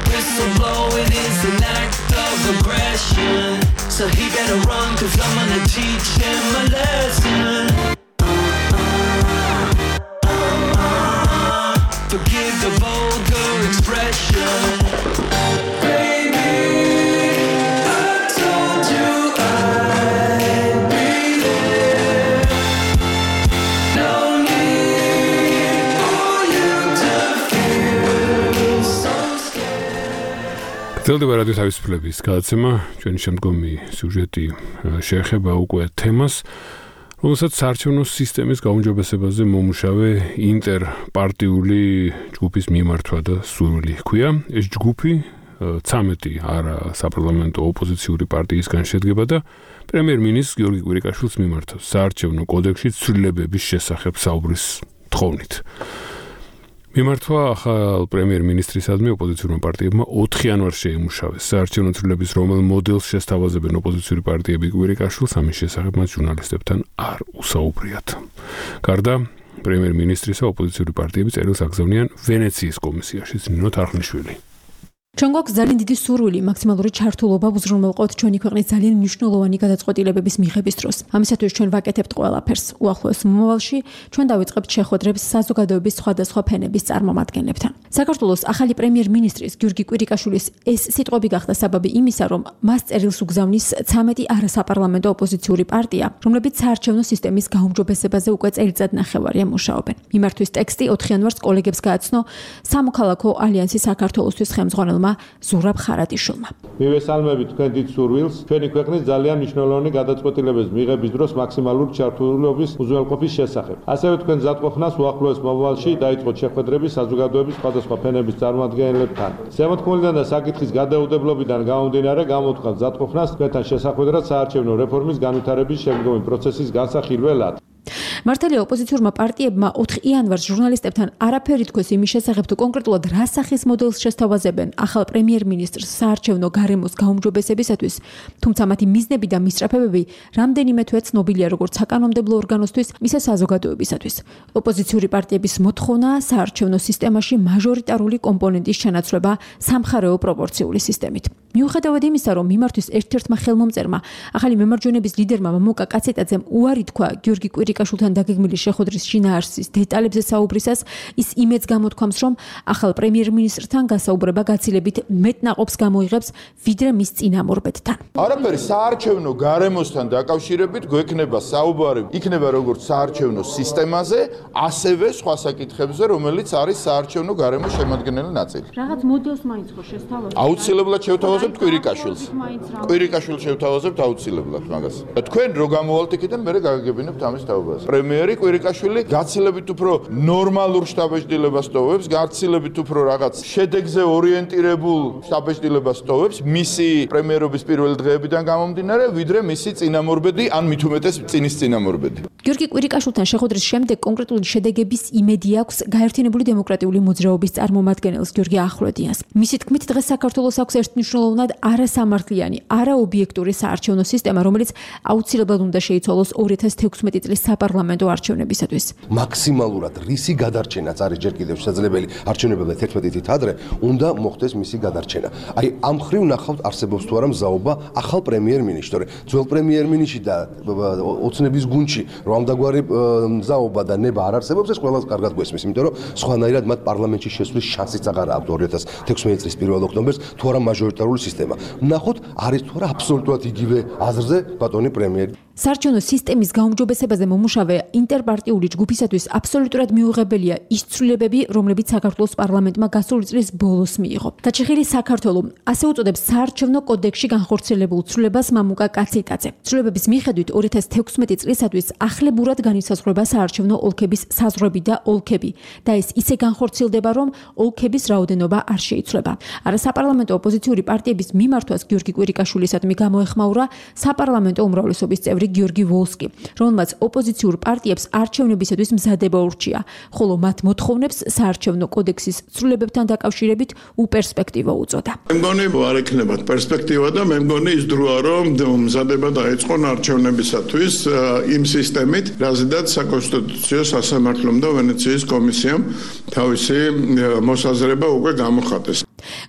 Whistleblowing is an act of aggression, so he better run, cause I'm gonna teach him a lesson. uh, uh, uh, uh, Forgive the vulgar expression. Baby, I told you I'd be there. No need for you to feel so scared. გრძელდება რადიო თავისუფლების გადაცემა, ჩვენი შემდგომი სიუჟეტი შეეხება უკვე თემას, რომელსაც საარჩევნო სისტემის გაუმჯობესებაზე მომუშავე ინტერპარტიული ჯგუფის მიმართვა და სურვილი ჰქვია. ეს ჯგუფი ცამეტი არა საპარლამენტო ოპოზიციური პარტიისგან შედგება და პრემიერ-მინისტრ გიორგი კვირიკაშვილს მიმართავს საარჩევნო კოდექსში ცვლილებების შესახებ საუბრის თხოვნით. მიმართვა ახალ პრემიერ-მინისტრისადმი ოპოზიციურმა პარტიებმა ოთხი იანვარს შეიმუშავეს. საარჩევნო ცვლილების რომელ მოდელს შესთავაზებენ ოპოზიციური პარტიები კვირიკაშვილს, ამის შესახებ მათ ჟურნალისტებთან არ უსაუბრიათ. გარდა პრემიერ-მინისტრისა ოპოზიციური პარტიები წერილს აგზავნიან ვენეციის კომისიაში. ნინო თარხნიშვილი. ჩვენ გვაქვს ძალიან დიდი სურვილი მაქსიმალური ჩართულობა უზრუნველყოთ ჩვენი ქვეყნის ძალიან მნიშვნელოვანი გადაწყვეტილებების მიღების დროს. ამისათვის ჩვენ ვაკეთებთ ყველაფერს. უახლოეს მომავალში ჩვენ დავიწყებთ შეხვედრებს საზოგადოების სხვადასხვა ფენების წარმომადგენლებთან. საქართველოს ახალი პრემიერ-მინისტრის გიორგი კვირიკაშვილის ეს სიტყვები გახდა საბაბი იმისა, რომ მას წერილს უგზავნის ცამეტი არასაპარლამენტო ოპოზიციური პარტია, რომლებიც საარჩევნო სისტემის გაუმჯობესებაზე უკვე წელიწად ნახევარია მუშაობენ. მიმართვის ტექსტი ოთხ იანვარს კოლეგებს გააცნო სამოქალაქო ალიანსი საქართველოსთვის ხელმძღვანელ ზურაბ ხარატიშვილმა. მივესალმებით თქვენ დიდ სურვილს, ჩვენი ქვეყნის ძალიან მნიშვნელოვანი გადაწყვეტილების მიღების დროს მაქსიმალური ჩართულობის უზრუნველყოფის შესახებ. ასევე თქვენ მზადყოფნას უახლოეს მომავალში დაიწყოთ შეხვედრები საზოგადოების სხვადასხვა ფენების წარმომადგენლებთან. ზემოთქმულიდან და საკითხის გადაუდებლობიდან გამომდინარე, გამოთქვამთ მზადყოფნას თქვენთან შესახვედრად საარჩევნო რეფორმის განვითარების შემდგომი პროცესის განსახილველად. მართალია ოპოზიციურმა პარტიებმა ოთხ იანვარს ჟურნალისტებთან არაფერი თქვეს იმის შესახებ, თუ კონკრეტულად რა სახის მოდელს შესთავაზებენ ახალ პრემიერ-მინისტრს საარჩევნო გარემოს გაუმჯობესებისათვის, თუმცა მათი მიზნები და მისწრაფებები რამდენიმე თვეა ცნობილია როგორც საკანონმდებლო ორგანოსთვის, ისე საზოგადოებისათვის. ოპოზიციური პარტიების მოთხოვნაა საარჩევნო სისტემაში მაჟორიტარული კომპონენტის ჩანაცვლება სამხარეო პროპორციული სისტემით. მიუხედავად იმისა, რომ მიმართვის ერთ-ერთმა ხელმომწერმა ახალი მემარჯვენების ლიდერმა მამუკა კაცეტაძემ უარი თქვა გიორგი კვირიკაშვილთან დაგეგმილი შეხვედრის შინაარსის დეტალებზე საუბრისას, ის იმედს გამოთქვამს, რომ ახალ პრემიერ-მინისტრთან გასაუბრება გაცილებით მეტნაყოფს გამოიღებს, ვიდრე მის წინამორბედთან. არაფერი საარჩევნო გარემოსთან დაკავშირებით გვექნება საუბარი, იქნება როგორც საარჩევნო სისტემაზე, ასევე სხვა საკითხებზე, რომელიც არის საარჩევნო გარემოს შემადგენელი ნაწილი. რაღაც მოდელს მაინც ხო შესთავაზებთ? აუცილებლად შევთავაზებთ კვირიკაშვილს. კვირიკაშვილს შევთავაზებთ აუცილებლად მაგას. თქვენ რო გამოვალთ იქიდან, მე გაგაგებინებთ ამის თაობას. პრემიერი კვირიკაშვილი გაცილებით უფრო ნორმალურ შტაბეჭდილებას ტოვებს, გაცილებით უფრო რაღაც შედეგზე ორიენტირებულ შტაბეჭდილებას ტოვებს, მისი პრემიერობის პირველი დღეებიდან გამომდინარე, ვიდრე მისი წინამორბედი, ან მით უმეტეს წინის წინამორბედი. გიორგი კვირიკაშვილთან შეხვედრის შემდეგ კონკრეტული შედეგების იმედი აქვს გაერთიანებული დემოკრატიული მოძრაობის წარმომადგენელს გიორგი ახვლედიანს. მისი თქმით, დღეს საქართველოს აქვს ერთმნიშვნელოვნად არასამართლიანი, არაობიექტური საარჩევნო სისტემა, რომელიც აუცილებლად უნდა შეიცვალოს ორი ათას თექვსმეტი წლის საპარლამენტო არჩევნებისათვის. მაქსიმალურად რისი გადარჩენაც არის ჯერ კიდევ შესაძლებელი არჩევნებამდე თერთმეტი წით ადრე, უნდა მოხდეს მისი გადარჩენა. აი ამ ხრივ ნახავთ არსებობს თუ არა მზაობა ახალ პრემიერ-მინისტრს. ძველ პრემიერ-მინისტრში და ოცნების გუნდში რომ ამდაგვარი მზაობა და ნება არ არსებობს, ეს ყველას კარგად გვესმის, იმიტომ რომ სხვანაირად მათ პარლამენტში შესვლის შანსიც აღარ აქვს ორი ათას თექვსმეტი წლის პირველ ოქტომბერს თუ არა მაჟორიტარული სისტემა. ნახოთ არის თუ არა აბსოლუტურად იგივე აზრზე ბატონი პრემიერი. საარჩევნო სისტემის გაუმჯობესებაზე მომუშავე ინტერპარტიული ჯგუფისათვის აბსოლუტურად მიუღებელია ის ცვლილებები, რომლებიც საქართველოს პარლამენტმა გასული წლის ბოლოს მიიღო. გაჩეხილი საქართველო ასე უწოდებს საარჩევნო კოდექსში განხორციელებულ ცვლილებას მამუკა კაცეტაძე. ცვლილებების მიხედვით ორი ათას თექვსმეტი წლისათვის ახლებურად განისაზღვრება საარჩევნო ოლქების საზღვრები და ოლქები და ეს ისე განხორციელდება, რომ ოლქების რაოდენობა არ შეიცვლება. არასაპარლამენტო ოპოზიციური პარტიების მიმართვას გიორგი კვირიკაშვილისადმი გამოეხმაურა საპარლამენტო უმრავლესობის წევრი გიორგი ვოლსკი, რომელმაც ოპოზიციურ პარტიებს არჩევნებისათვის მზადება ურჩია, ხოლო მათ მოთხოვნებს საარჩევნო კოდექსის ცვლილებებთან დაკავშირებით უპერსპექტივო უწოდა. მე მგონი არ ექნებათ პერსპექტივა და მე მგონი ის დროა, რომ მზადება დაიწყონ არჩევნებისათვის იმ სისტემით, რაზედაც საკონსტიტუციო სასამართლომ და ვენეციის კომისიამ თავისი მოსაზრება უკვე გამოხატეს.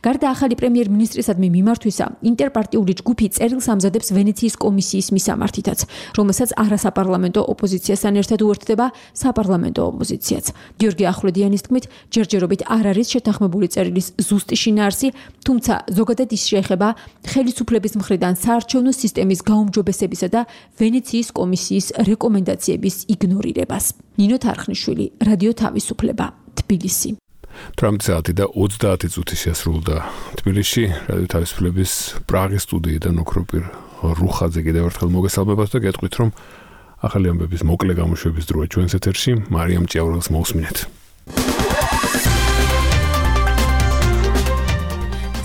გარდა ახალი პრემიერ-მინისტრისადმი მიმართვისა, ინტერპარტიული ჯგუფი წერილს ამზადებს ვენეციის კომისიის მისამართითაც, რომელსაც არასაპარლამენტო ოპოზიციასთან ერთად უერთდება საპარლამენტო ოპოზიციაც. გიორგი ახვლედიანის თქმით, ჯერჯერობით არ არის შეთანხმებული წერილის ზუსტი შინაარსი, თუმცა ზოგადად ის შეეხება ხელისუფლების მხრიდან საარჩევნო სისტემის გაუმჯობესებისა და ვენეციის კომისიის რეკომენდაციების იგნორირებას. ნინო თარხნიშვილი, რადიო თავისუფლება, თბილისი. ათრამეტი საათი და ოცდაათი წუთი შესრულდა თბილისში რადიო თავისუფლების პრაღის სტუდიიდან ოქროპირ რუხაძე კიდევ ერთხელ მოგესალმებათ და გეტყვით რომ ახალი ამბების მოკლე გამოშვების დროა ჩვენს ეთერში მარიამ ჭიაურელს მოусმინეთ.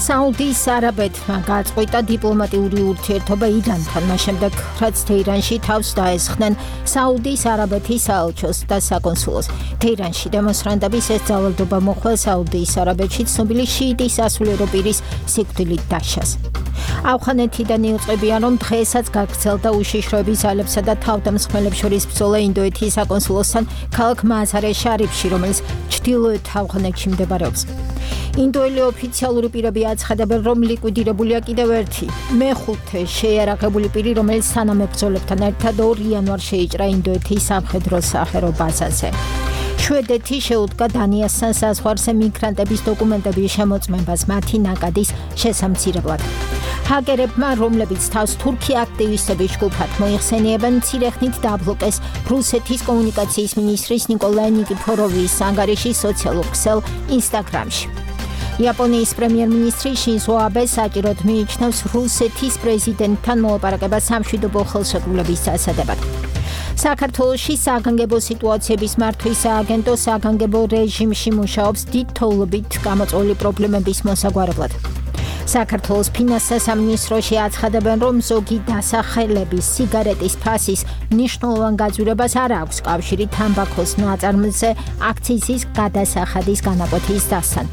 საუდის არაბეთმა გაწყვიტა დიპლომატიური ურთიერთობა ირანთან, მას შემდეგ, რაც თეირანში თავს დაესხნენ საუდის არაბეთის საელჩოს და საკონსულოს. თეირანში დემონსტრანტების ეს ძალადობა მოხდა საუდის არაბეთში ცნობილი შიიტის სასულიერო პირის სიკვდილით დაშას. ავღანეთიდან იუწყებიან, რომ დღესაც გაგრძელდა უშიშროების ძალებსა და თავდამსხმელებს შორის ბრძოლა ინდოეთის საკონსულოსთან ქალაქ მაზარე შარიფში, რომელიც ჩრდილოეთ ავღანეთში მდებარეობს. ინდოელი ოფიციალური პირები აცხადებენ, რომ ლიკვიდირებულია კიდევ ერთი მეხუთე შეიარაღებული პირი, რომელიც თანამებრძოლებთან ერთად ორ იანვარს შეიჭრა ინდოეთის სამხედრო საჰერო ბაზაზე. შვედეთი შეუდგა დანიასთან საზღვარზე მიგრანტების დოკუმენტების შემოწმებას მათი ნაკადის შესამცირებლად. ჰაკერებმა, რომლებიც თავს თურქი აქტივისტების ჯგუფად მოიხსენიებენ, მცირე ხნით დაბლოკეს რუსეთის კომუნიკაციის მინისტრის ნიკოლაი ნიკიფოროვის ანგარიში სოციალურ ქსელ ინსტაგრამში. იაპონიის პრემიერ-მინისტრი შინზო აბე საჭიროდ მიიჩნევს რუსეთის პრეზიდენტთან მოლაპარაკებას სამშვიდობო ხელშეკრულების დასადებად. საქართველოში საგანგებო სიტუაციების მართვის სააგენტო საგანგებო რეჟიმში მუშაობს დიდ თოვლობით გამოწვეული პრობლემების მოსაგვარებლად. საქართველოს ფინანსთა სამინისტროში აცხადებენ, რომ ზოგი დასახელების სიგარეტის ფასის მნიშვნელოვან გაძვირებას არ აქვს კავშირი თამბაქოს ნაწარმზე აქციზის გადასახადის განაკვეთის დასთან.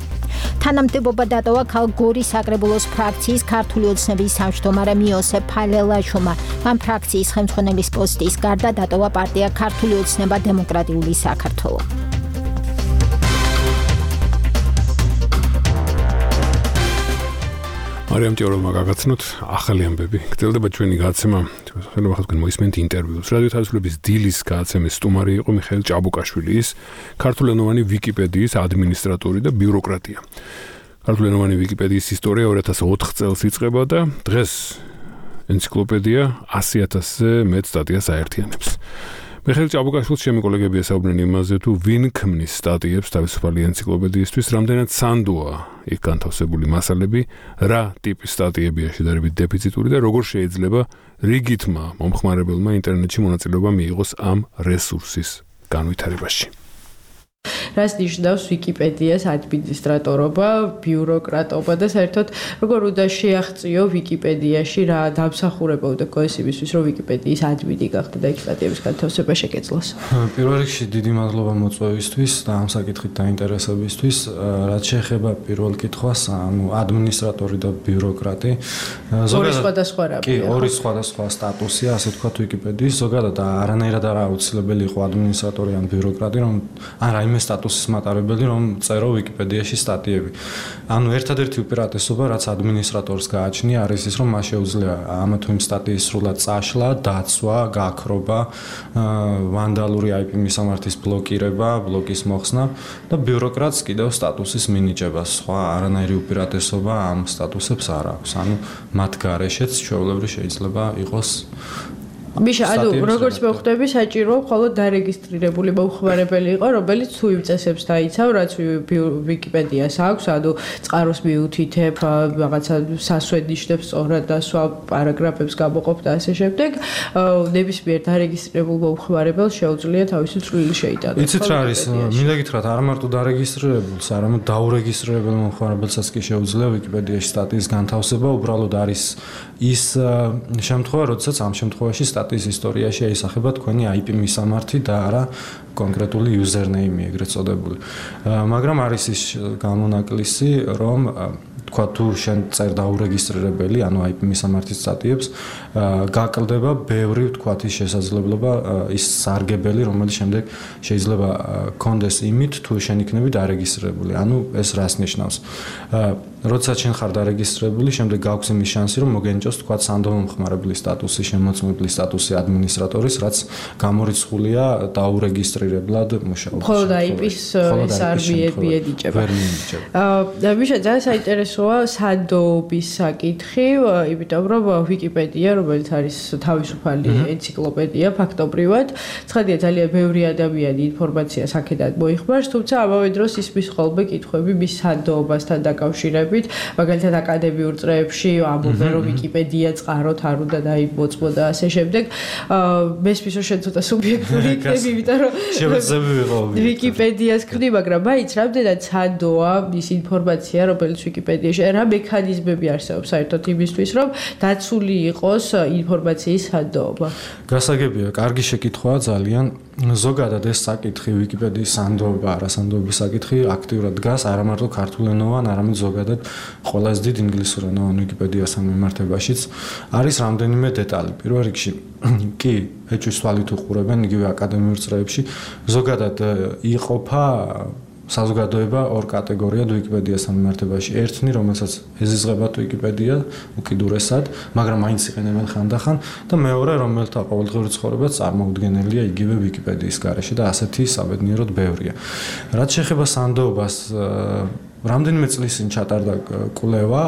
თანამდებობა დატოვა ქალ გორის საკრებულოს ფრაქციის ქართული ოცნების თავმჯდომარემ იოსებ ფალელაშვილმა. მან ფრაქციის ხელმძღვანელის პოსტის გარდა დატოვა პარტია ქართული ოცნება დემოკრატიული საქართველო. მარიამ ჭიაურელმა გაგაცნოთ ახალი ამბები. გრძელდება ჩვენი გადაცემა. შეიძლება თქვენ მოისმენთ ინტერვიუს. რადიო თავისუფლების დილის გადაცემის სტუმარი იყო მიხეილ ჭაბუკაშვილი, ის ქართულენოვანი ვიკიპედიის ადმინისტრატორი და ბიუროკრატია. ქართულენოვანი ვიკიპედიის ისტორია ორი ათას ოთხ წელს იწყება და დღეს ენციკლოპედია ასი ათასზე მეტ სტატიას აერთიანებს. მიხეილ ჭაბუკაშვილს ჩემი კოლეგები ესაუბრნენ იმაზე, თუ ვინ ქმნის სტატიებს თავისუფალი ენციკლოპედიისთვის, რამდენად სანდოა იქ განთავსებული მასალები, რა ტიპის სტატიებია შედარებით დეფიციტური და როგორ შეიძლება რიგითმა მომხმარებელმა ინტერნეტში მონაწილეობა მიიღოს ამ რესურსის განვითარებაში. რას ნიშნავს ვიკიპედიას ადმინისტრატორობა, ბიუროკრატობა და საერთოდ როგორ უნდა შეაღწიო ვიკიპედიაში რა დამსახურება უნდა გქონდეს იმისთვის, რომ ვიკიპედიის ადმინი გახდა და იქ სტატიების განთავსება შეგეძლოს. პირველ რიგში დიდი მადლობა მოწვევისთვის და ამ საკითხით დაინტერესებისთვის. რაც შეეხება პირველ კითხვას, ანუ ადმინისტრატორი და ბიუროკრატი, ორი სხვადასხვა რამე. კი, ორი სხვადასხვა სტატუსია, ასე ვთქვათ, ვიკიპედიის. ზოგადად არანაირად არ აუცილებელი იყო ადმინისტრატორი ან ბიუროკრატი, რომ ან რაიმე სტატუსის მატარებელი, რომ წერო ვიკიპედიაში სტატიები. ანუ ერთადერთი უპირატესობა, რაც ადმინისტრატორს გააჩნია, არის ის, რომ მას შეუძლია ამა თუ იმ სტატიის სრულად წაშლა, დაცვა, გაქრობა, ვანდალური აი პი მისამართის ბლოკირება, ბლოკის მოხსნა და ბიუროკრატს კიდევ სტატუსის მინიჭება. სხვა არანაირი უპირატესობა ამ სტატუსებს არ აქვს. ანუ მათ გარეშეც ჩვეულებრივ შეიძლება იყოს მიშა, ანუ როგორც მოვხვდები, საჭიროა მხოლოდ დარეგისტრირებული მომხმარებელი იყო, რომელიც თუ იმ წესებს დაიცავ, რაც ვიკიპედიას აქვს, ანუ წყაროს მიუთითებ, რაღაცა სასვენიშნებს სწორად და სხვა პარაგრაფებს გამოყოფ და ასე შემდეგ, ნებისმიერ დარეგისტრირებულ მომხმარებელს შეუძლია თავისი წვლილი შეიტანოს. იცით რა არის? მინდა გითხრათ, არა მარტო დარეგისტრირებულს, არამედ დაურეგისტრირებულ მომხმარებელსაც კი შეუძლია ვიკიპედიაში სტატიის განთავსება, უბრალოდ არის ის შემთხვევა, როდესაც ამ შემთხვევაში სტატიის ისტორიაში აისახება თქვენი აი პი მისამართი და არა კონკრეტული username-ი, ეგრეთ წოდებული. მაგრამ არის ის გამონაკლისი, რომ თქვა თუ შენ წერ დაურეგისტრირებელი, ანუ აი პი მისამართის სტატიებს, გაკლდება ბევრი თქვათ ის შესაძლებლობა, ის სარგებელი, რომელიც შემდეგ შეიძლება კონდეს იმით, თუ შენ იქნები დარეგისტრირებული. ანუ ეს რას ნიშნავს? როდესაც შენ ხარ დარეგისტრირებული, შემდეგ გაქვს იმის შანსი, რომ მოგენიჭოს თქვათ სანდო მომხმარებლის სტატუსი, შემოწმებლის სტატუსი ადმინისტრატორის, რაც გამორიცხულია დაურეგისტრირებლად მუშაობს. მხოლოდ აი პის ეს არ მიენიჭება. ვერ მიენიჭება. აა, მიშა ძალიან საინტერესოა გასვა სადობის საკითხი, იმიტომ რომ ვიკიპედია, რომელიც არის თავისუფალი ენციკლოპედია ფაქტობრივად, ცხადია ძალიან ბევრი ადამიანი ინფორმაციას აქედან მოიხმარს, თუმცა ამავე დროს ისმის ხოლმე კითხვები მის სადობასთან დაკავშირებით, მაგალითად აკადემიურ წრეებში ამბობენ რომ ვიკიპედია წყაროთ არ უნდა დაიმოწმო და ასე შემდეგ. მესმის რომ შენ ცოტა სუბიექტური იქნები, იმიტომ რომ შევეძები ვიყო ვიკიპედიას ქმნი, მაგრამ მაინც რამდენად სადოა ის ინფორმაცია, რომელიც ვიკიპედიაში, რა მექანიზმები არსებობს საერთოდ იმისთვის, რომ დაცული იყოს ინფორმაციის სადოობა. გასაგებია, კარგი შეკითხვაა ძალიან. ზოგადად ეს საკითხი ვიკიპედიის სანდოობა, არასანდოობის საკითხი აქტიურად დგას არა მარტო ქართულენოვან, არამედ ზოგადად ყველაზე დიდ ინგლისურენოვან ვიკიპედიასთან მიმართებაშიც. არის რამდენიმე დეტალი. პირველ რიგში კი ეჭვის თვალით უყურებენ იგივე აკადემიურ წრეებში, ზოგადად იყოფა საზოგადოება ორ კატეგორიად ვიკიპედიასთან მიმართებაში. ერთნი, რომელსაც ეზიზღებათ ვიკიპედია უკიდურესად, მაგრამ მაინც იყენებენ ხანდახან და მეორე, რომელთა ყოველდღიური ცხოვრება წარმოუდგენელია იგივე ვიკიპედიის გარეშე და ასეთი საბედნიეროდ ბევრია. რაც შეეხება სანდოობას, რამდენიმე წლის წინ ჩატარდა კვლევა,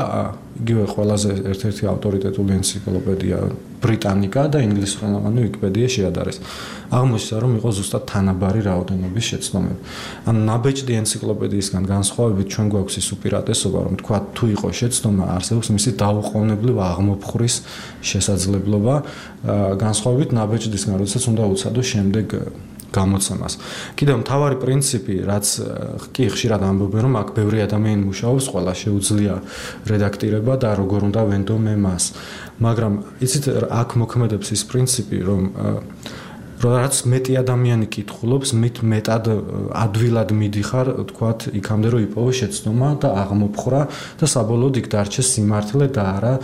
იგივე ყველაზე ერთ-ერთი ავტორიტეტული ენციკლოპედია ბრიტანიკა და ინგლისურენოვანი ვიკიპედია შეადარეს. აღმოჩნდა, რომ იყო ზუსტად თანაბარი რაოდენობის შეცდომები. ან ნაბეჭდი ენციკლოპედიისგან განსხვავებით ჩვენ გვაქვს ის უპირატესობა, რომ თქვა თუ იყო შეცდომა, არსებობს მისი დაუყოვნებლივ აღმოფხვრის შესაძლებლობა, განსხვავებით ნაბეჭდისგან, როდესაც უნდა უცადო შემდეგ გამოცემას. კიდევ მთავარი პრინციპი, რაც კი ხშირად ამბობენ, რომ აქ ბევრი ადამიანი მუშაობს, ყველა შეუძლია რედაქტირება და როგორ უნდა ვენდო მე მას. მაგრამ იცით, აქ მოქმედებს ის პრინციპი, რომ რაც მეტი ადამიანი კითხულობს, მით მეტად ადვილად მიდიხარ, თქვათ, იქამდე რომ იპოვო შეცდომა და აღმოფხრა და საბოლოოდ იქ დარჩეს სიმართლე და არა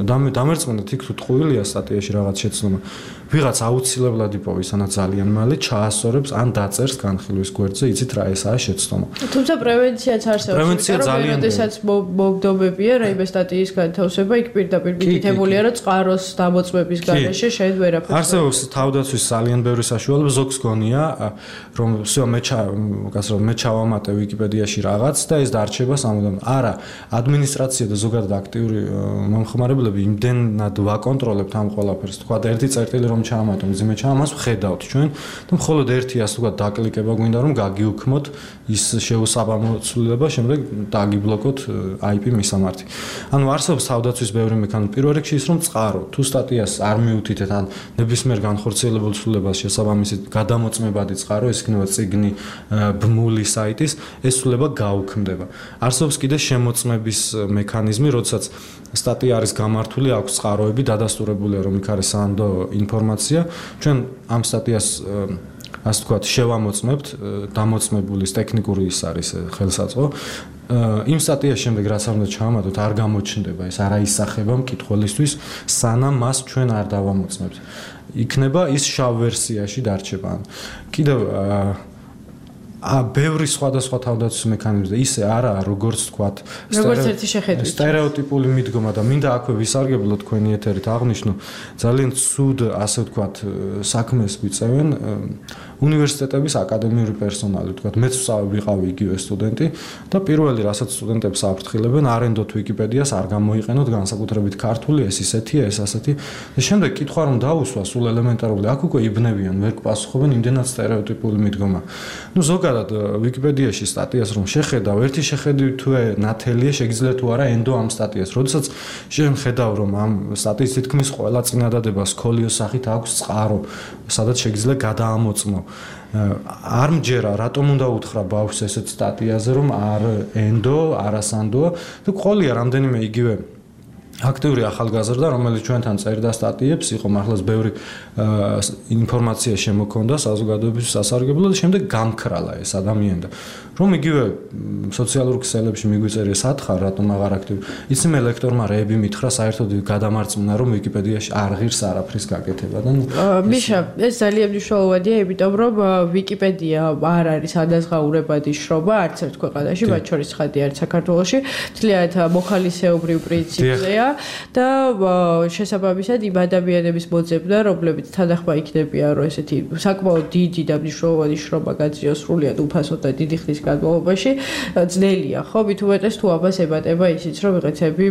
დამერწმუნდეთ იქ თუ ტყუილია სტატიაში რაღაც შეცდომა. ვიღაც აუცილებლად იპოვი, სანაც ძალიან მალე ჩაასწორებს ან დაწერს განხილვის გვერდზე, იცით რა ესაა შეცდომა. თუმცა პრევენციაც არსებობს. პრევენცია ძალიან როდესაც მოგდობებია რაიმე სტატიის განთავსება, იქ პირდაპირ მიკითებულია, რომ წყაროს დამოწმების გარეშე შენ ვერაფერს. არსებობს თავდაცვის ძალიან ბევრი საშუალება, ზოგს გონია, რომ всё მე გასრო მე ჩავამატე ვიკიპედიაში რაღაც და ეს დარჩება სამუდამ. არა, ადმინისტრაცია და ზოგადად აქტიური მომხმარებლები იმდენად ვაკონტროლებთ ამ ყველაფერს. თქვა ერთი წერტილი რომ ჩაამატო, მძიმე ჩაამას ვხედავთ ჩვენ და მხოლოდ ერთი ასე თქვა დაკლიკება გვინდა რომ გაგიუქმოთ ის შეუსაბამოცლება, შემდეგ დაგიბლოკოთ აი პი მისამართი. ანუ არსებობს თავდაცვის ბევრი მექანიზმი. პირველ რიგში ის რომ წყარო, თუ სტატიას არ მიუთითეთ ან ნებისმიერ განხორციელებულ ცვლილებას შესაბამისად გადამოწმებადი წყარო, ეს იქნება წიგნი, ბმული საიტის, ეს ცვლილება გაუქმდება. არსებობს კიდე შემოწმების მექანიზმი, როდესაც სტატია არის გამართული, აქვს წყაროები, დადასტურებულია რომ იქ არის სანდო ინფორმაცია. ჩვენ ამ სტატიას ასე ვთქვათ, შევამოწმებთ, დამოწმებულის ტექნიკური ის არის ხელსაწყო. იმ სტატიას შემდეგ რაც არ უნდა ჩავამატოთ, არ გამოჩნდება, ეს არ აისახება მკითხველისთვის, სანამ მას ჩვენ არ დავამოწმებთ. იქნება ის შავ ვერსიაში დარჩება. კიდევ ა ბევრი სხვადასხვა თავდაცვის მექანიზმი და ისე არაა, როგორც თქვათ, როგორც ერთი შეხედვით. სტერეოტიპული მიდგომა და მინდა აქვე ვისარგებლო თქვენი ეთერით აღნიშნო, ძალიან ცუდ, ასე ვთქვათ, საქმეს ვიწევენ უნივერსიტეტების აკადემიური პერსონალი, ვთქვათ, მეც ვიყავი იგივე სტუდენტი და პირველი რასაც სტუდენტებს აფრთხილებენ, არენდოთ ვიკიპედიას, არ გამოიყენოთ განსაკუთრებით ქართული, ეს ისეთია, ეს ასეთი. და შემდეგ კითხვა რომ დაუსვა სულ ელემენტარული, აქ უკვე იბნევიან, ვერ გპასუხობენ იმდენად სტერეოტიპული მიდგომა. ნუ ზოგადად ვიკიპედიაში სტატიას რომ შეხედავ, ერთი შეხედვით თუ ნათელია, შეგიძლია თუ არა ენდო ამ სტატიას. როდესაც შენ ხედავ რომ ამ სტატიის თითქმის ყველა წინადადება სკოლიოს სახით აქვს წყარო, სადაც შეგიძლია გადაამოწმო. არ მჯერა, რატომ უნდა უთხრა ბავშვს ესეთ სტატიაზე, რომ არ ენდო, არასანდოა და ყოლია რამდენიმე იგივე აქტიური ახალგაზრდა, რომელიც ჩვენთან წერდა სტატიებს, იყო მართლაც ბევრი ინფორმაცია შემოქონდა საზოგადოების სასარგებლოდ და შემდეგ გამქრალა ეს ადამიანი და რომ იგივე სოციალურ ქსელებში მიგვიწერია სათხარ, რატომ აღარ აქტივი. იციმე ლექტორმა რეები მითხრა საერთოდ გადამარწმუნა, რომ ვიკიპედიაში არ ღირს არაფრის გაკეთება და მიშა, ეს ძალიან მნიშვნელოვანია, იმიტომ რომ ვიკიპედია არ არის ადაზღაურებადი შრომა არც ერთ ქვეყანაში, მათ შორის ხადი არის საქართველოში, თლიანად მოხალისეობრივ პრინციპზეა. და შესაბამისად იმ ადამიანების მოძებნა, რომლებიც თანახმა იქნებიან, რომ ესეთი საკმაოდ დიდი და მნიშვნელოვანი შრომა გაძიოს სრულიად უფასოდ და დიდი ხნის განმავლობაში, ძნელია, ხო? მით უმეტეს თუ ამას ემატება ისიც, რომ ვიღაცები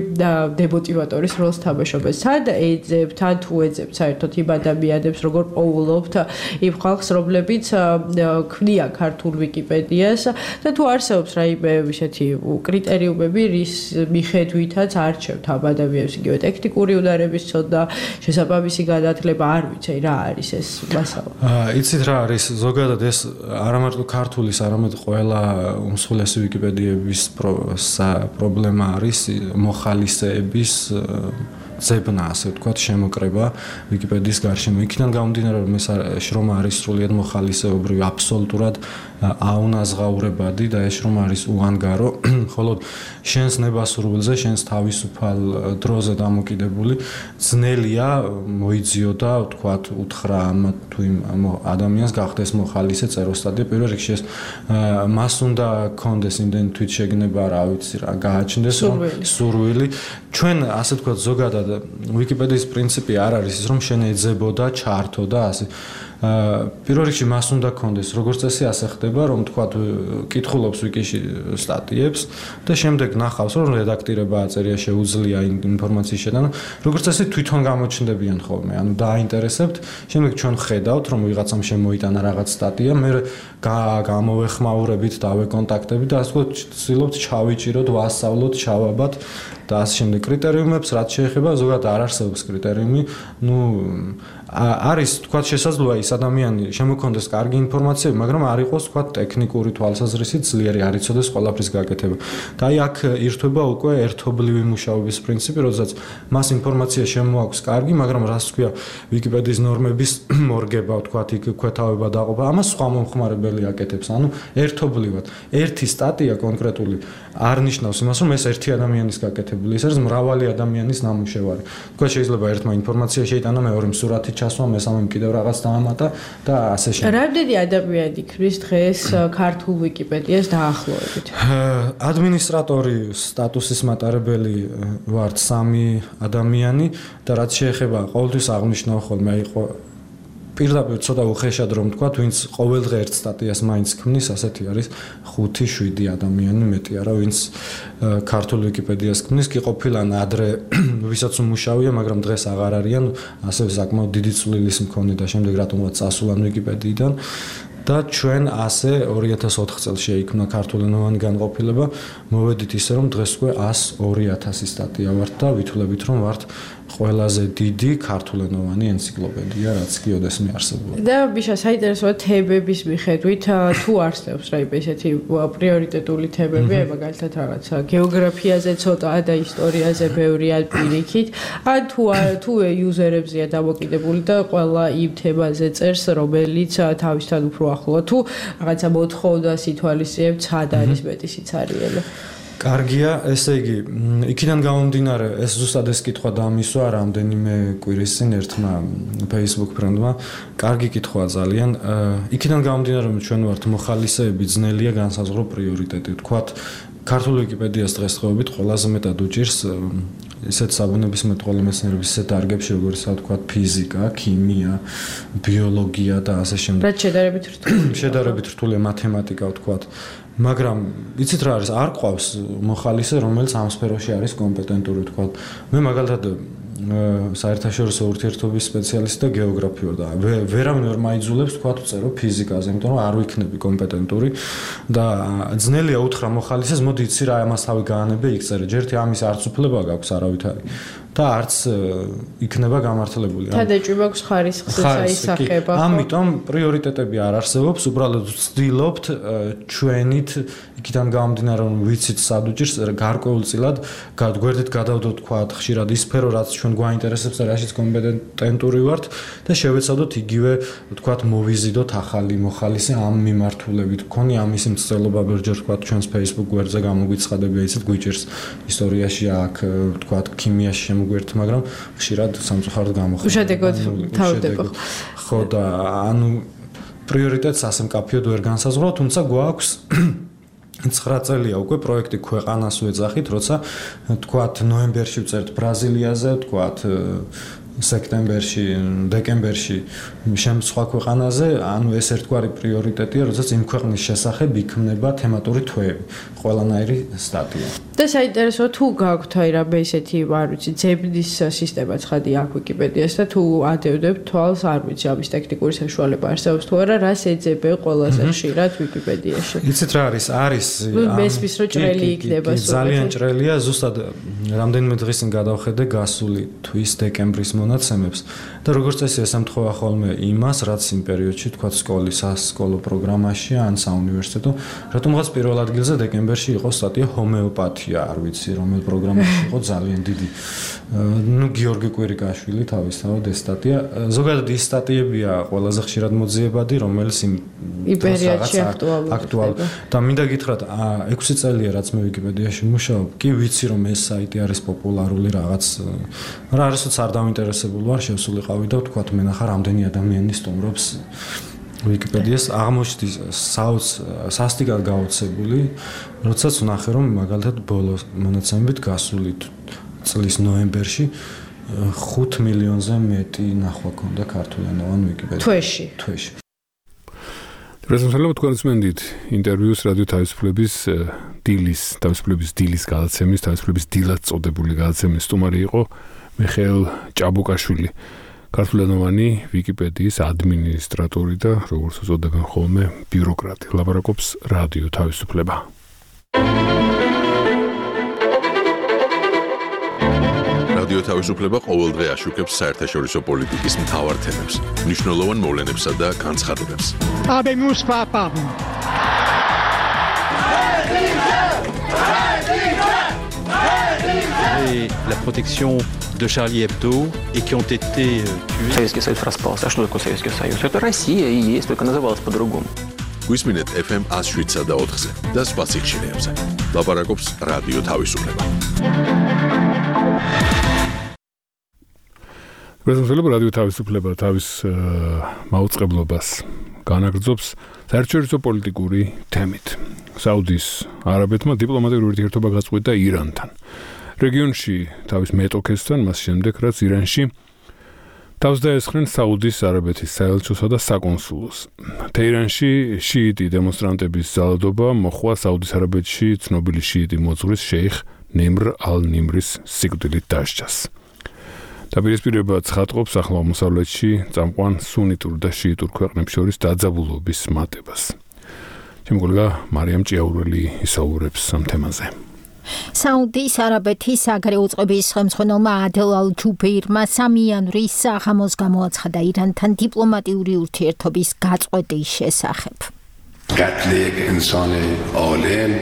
დემოტივატორის როლს თამაშობენ. სად ეძებთ, ან თუ ეძებთ საერთოდ იმ ადამიანებს, როგორ პოულობთ იმ ხალხს, რომლებიც ქმნიან ქართულ ვიკიპედიას და თუ არსებობს რაიმე ისეთი კრიტერიუმები, რის მიხედვითაც არჩევთ ამ ადამიანებს, იგივე ტექნიკური უნარების ცოდნა, შესაბამისი განათლება, არ ვიცი რა არის ეს მასალა. აა იცით რა არის ზოგადად ეს არა მარტო ქართულის, არამედ ყველა უმსხვილესი ვიკიპედიების პრობლემა არის მოხალისეების ზებნა, ასე ვთქვათ, შემოკრება ვიკიპედიის გარშემო. იქიდან გამომდინარე, რომ ეს შრომა არის სრულიად მოხალისეობრივი, აბსოლუტურად აუნაზღაურებადი და ეს შრომა არის უანგარო, ხოლო შენს ნებასრულზე, შენს თავისუფალ დროზე დამოკიდებული ძნელია მოიძიო და ვთქვათ, უთხრა ამ თუ იმ ადამიანს გახდეს მოხალისე წეროსტატია. პირველ რიგში ეს მას უნდა კონდეს იმდენი თვითშეგნება, რა ვიცი რა, გააჩნდეს სურვილი. ჩვენ ასე ვთქვათ, ზოგადად ვიკიპედიის პრინციპი არ არის ის, რომ შენ ეძებო და ჩართო და ასე. პირველ რიგში მას უნდა კონდეს, როგორც წესი ასე ხდება, რომ თქვათ კითხულობს ვიკიში სტატიებს და შემდეგ ნახავს, რომ რედაქტირება აწერია, შეუძლია ინფორმაციის შეტანა. როგორც წესი თვითონ გამოჩნდებიან ხოლმე, ანუ დააინტერესებთ, შემდეგ ჩვენ ხედავთ, რომ ვიღაცამ შემოიტანა რაღაც სტატია, მე გამოვეხმაურებით, დავეკონტაქტებით და ასე ვცდილობთ ჩავიჭიროთ, ვასწავლოთ, ჩავაბათ და ასე შემდეგ კრიტერიუმებს, რაც შეეხება, ზოგადად არ არსებობს კრიტერიუმი, ну არის თქვა შესაძლოა ის ადამიანი შემოქონდეს კარგი ინფორმაციები, მაგრამ არ იყოს თქვა ტექნიკური თვალსაზრისით ძლიერი, არ იცოდეს ყველაფრის გაკეთება. და აი აქ ირთვება უკვე ერთობლივი მუშაობის პრინციპი, როდესაც მას ინფორმაცია შემოაქვს კარგი, მაგრამ რას თქვია ვიკიპედიის ნორმების მორგება, თქვა იქ ქვეთავება დაყოფა, ამას სხვა მომხმარებელი აკეთებს. ანუ ერთობლივად ერთი სტატია კონკრეტული არ ნიშნავს იმას, რომ ეს ერთი ადამიანის გაკეთებული, ეს არის მრავალი ადამიანის ნამუშევარი. თქვა შეიძლება ერთმა ინფორმაცია შეიტანა, მეორემ სურათი ჩასვა, მესამემ კიდევ რაღაც დაამატა და ასე შემდეგ. რამდენი ადამიანი ქრის დღეს ქართულ ვიკიპედიას დაახლოებით? ადმინისტრატორი სტატუსის მატარებელი ვართ სამი ადამიანი და რაც შეეხება ყოველთვის აღნიშნავ ხოლმე აი პირდაპირ ცოტა უხეშად რომ თქვა, ვინც ყოველდღე ერთ სტატიას მაინც ქმნის, ასეთი არის ხუთი შვიდი ადამიანი, მეტი არა, ვინც ქართულ ვიკიპედიას ქმნის, კი ყოფილან ადრე ვისაც უმუშავია, მაგრამ დღეს აღარ არიან, ასევე საკმაოდ დიდი წვლილის მქონე და შემდეგ რატომღაც წასულან ვიკიპედიიდან და ჩვენ ასე ორი ათას ოთხ წელს შეიქმნა ქართულენოვანი განყოფილება, მოვედით ისე რომ დღეს უკვე ასი ორი ათასი სტატია ვართ და ვითვლებით რომ ვართ ყველაზე დიდი ქართულენოვანი ენციკლოპედია, რაც კიოდესმე არსებობდა. და ბიშა საინტერესოა თემების მიხედვით, თუ არსებობს რაიმე ესეთი პრიორიტეტული თემები, მაგალითად რაღაცა გეოგრაფიაზე ცოტა და ისტორიაზე ბევრი ან პირიქით, ან თუ თუ იუზერებზეა დამოკიდებული და ყველა იმ თემაზე წერს, რომელიც თავისთან უფრო ახლოა, თუ რაღაცა მოთხოვნას ითვალისწინებთ, ცხად არის მეტი სიცარიელე. კარგია, ესე იგი, იქიდან გამომდინარე, ეს ზუსტად ეს კითხვა დამისვა რამდენიმე კვირის წინ ერთმა Facebook ფრენდმა. კარგი კითხვაა ძალიან. იქიდან გამომდინარე, რომ ჩვენ ვართ მოხალისეები, ძნელია განსაზღვრო პრიორიტეტი. ვთქვათ, ქართულ ვიკიპედიას დღესდღეობით ყველაზე მეტად უჭირს ისეთ საბუნებისმეტყველო მეცნიერების ისეთ დარგებში, როგორიცაა ვთქვათ ფიზიკა, ქიმია, ბიოლოგია და ასე შემდეგ. რაც შედარებით რთულია. შედარებით რთულია მათემატიკა, ვთქვათ. მაგრამ იცით რა არის, არ ყავს მოხალისე, რომელიც ამ სფეროში არის კომპეტენტური, ვთქვათ. მე მაგალითად საერთაშორისო ურთიერთობის სპეციალისტი და გეოგრაფი ვარ და ვერავინ ვერ მაიძულებს თქვა ვწერო ფიზიკაზე, იმიტომ რომ არ ვიქნები კომპეტენტური და ძნელია უთხრა მოხალისეს, მოდი იცი რა ამას თავი გაანებე იქ წერე. ჯერ ამის არც უფლება გაქვს არავითარი და არც იქნება გამართლებული. თადაჭი მაქვს ხარისხს საისახება. ამიტომ პრიორიტეტები არ არსებობს, უბრალოდ ვცდილობთ ჩვენით იქიდან გამომდინარე რომ ვიცით სად უჭირს გარკვეულწილად გვერდით გადავდოთ თქვა ხშირად ის სფერო რაც ჩვენ გვაინტერესებს და რაშიც კომპეტენტური ვართ და შევეცადოთ იგივე თქვა მოვიზიდოთ ახალი მოხალისე ამ მიმართულებით. გქონი ამის მცდელობა ბერჯერ თქვა ჩვენს Facebook გვერდზე გამოგვიცხადებია ისეთ გვიჭერს ისტორიაში აქ თქვა ქიმიაში შემოგვერთ, მაგრამ ხშირად სამწუხაროდ გამოხდება. უშედეგოდ თავდება. ხო და ანუ პრიორიტეტს ასე მკაფიოდ ვერ განსაზღვრავ, თუმცა გვაქვს ცხრა წელია უკვე პროექტი ქვეყანას ვეძახით, როცა თქვათ ნოემბერში ვწერთ ბრაზილიაზე, თქვათ სექტემბერში, დეკემბერში შემ სხვა ქვეყანაზე, ანუ ეს ერთგვარი პრიორიტეტია, როდესაც იმ ქვეყნის შესახებ იქმნება თემატური თვეები, ყველანაირი სტატია. და საინტერესოა თუ გაქვთ აი რა ესეთი, არ ვიცი, ძებნის სისტემა ცხადი აქვს ვიკიპედიას და თუ ადევდებთ თვალს, არ ვიცი, ამის ტექნიკური საშუალება არსებობს თუ არა, რას ეძებე ყველაზე ხშირად ვიკიპედიაში. იცით რა არის? არის მესმის რო ჭრელი იქნება სულ. ძალიან ჭრელია, ზუსტად რამდენიმე დღის წინ გადავხედე გასული თვის დეკემბრის მონაცემებს და როგორც წესი ესამთხოვა ხოლმე იმას, რაც იმ პერიოდში თქვა სკოლის სასკოლო პროგრამაში ან საუნივერსიტეტო, რატომღაც პირველ ადგილზე დეკემბერში იყო სტატია ჰომეოპათია, არ ვიცი, რომელ პროგრამაში იყო ძალიან დიდი. ნუ გიორგი კვირიკაშვილი თავისთავად ეს სტატია, ზოგადად ის სტატიებია ყველაზე ხშირად მოძიებადი, რომელიც იმ პერიოდში აქტუალურია. და მინდა გითხრათ, ექვსი წელია რაც მე ვიკიპედიაში მუშაობ, კი ვიცი რომ ეს საიტი არის პოპულარული რაღაც, რა არასოც არ დავინტერესებული ვარ, შევსულიყავი და ვთქვათ, მე ნახა რამდენი ადამიანი სტუმრობს ვიკიპედიას, აღმოჩნდი საოც სასტიკად გაოცებული, როდესაც ვნახე რომ მაგალითად ბოლო მონაცემებით გასული წლის ნოემბერში ხუთ მილიონზე მეტი ნახვა ქონდა ქართულენოვან ვიკიპედიაში. თვეში. თვეში. პრეზენტაცია თქვენს მენდით ინტერვიუს რადიო თავისუფლების დილის, თავისუფლების დილის გადაცემის, თავისუფლების დილად წოდებული გადაცემის სტუმარი იყო მიხეილ ჭაბუკაშვილი, ქართულენოვანი ვიკიპედიის ადმინისტრატორი და როგორც უწოდებენ ხოლმე ბიუროკრატი. ლაპარაკობს რადიო თავისუფლება. რადიო თავისუფლება ყოველდღე აშუქებს საერთაშორისო პოლიტიკის მთავარ თემებს, მნიშვნელოვან მოვლენებსა და განცხადებებს. Habemus papam. Et la protection de Charlie Hebdo et qui ont été tués. Советский Союз распался. А что такое Советский Союз? Это Россия и есть, только называлась по-другому. გვისმინეთ эф эм one oh seven და ოთხზე და სხვა სიხშირეებზე. ლაპარაკობს რადიო თავისუფლება. პრეზენტაცია რადიო თავისუფლება თავის მაუწყებლობას განაგრძობს საერთაშორისო პოლიტიკური თემით. საუდის არაბეთმა დიპლომატიური ურთიერთობა გაწყვეტა ირანთან. რეგიონში თავის მეტოქესთან, მას შემდეგ რაც ირანში თავს დაესხნენ საუდის არაბეთის საელჩოსა და საკონსულოს. თეირანში შიიტი დემონსტრანტების ძალადობა მოხვა საუდის არაბეთში ცნობილი შიიტი მოძღვრის შეიხ ნიმრ ალ-ნიმრის სიკვდილით დასჯას. დაპირისპირება ცხადყოფს ახლო აღმოსავლეთში წამყვან სუნიტურ და შიიტურ ქვეყნებს შორის დაძაბულობის მატებას. ჩემი კოლეგა მარიამ ჭიაურელი ისაუბრებს ამ თემაზე. საუდის არაბეთის საგარეო უწყების ხელმძღვანელმა ადელ ალ-ჯუბეირმა სამი იანვრის საღამოს გამოაცხადა ირანთან დიპლომატიური ურთიერთობის გაწყვეტის შესახებ. قتل یک انسان عالم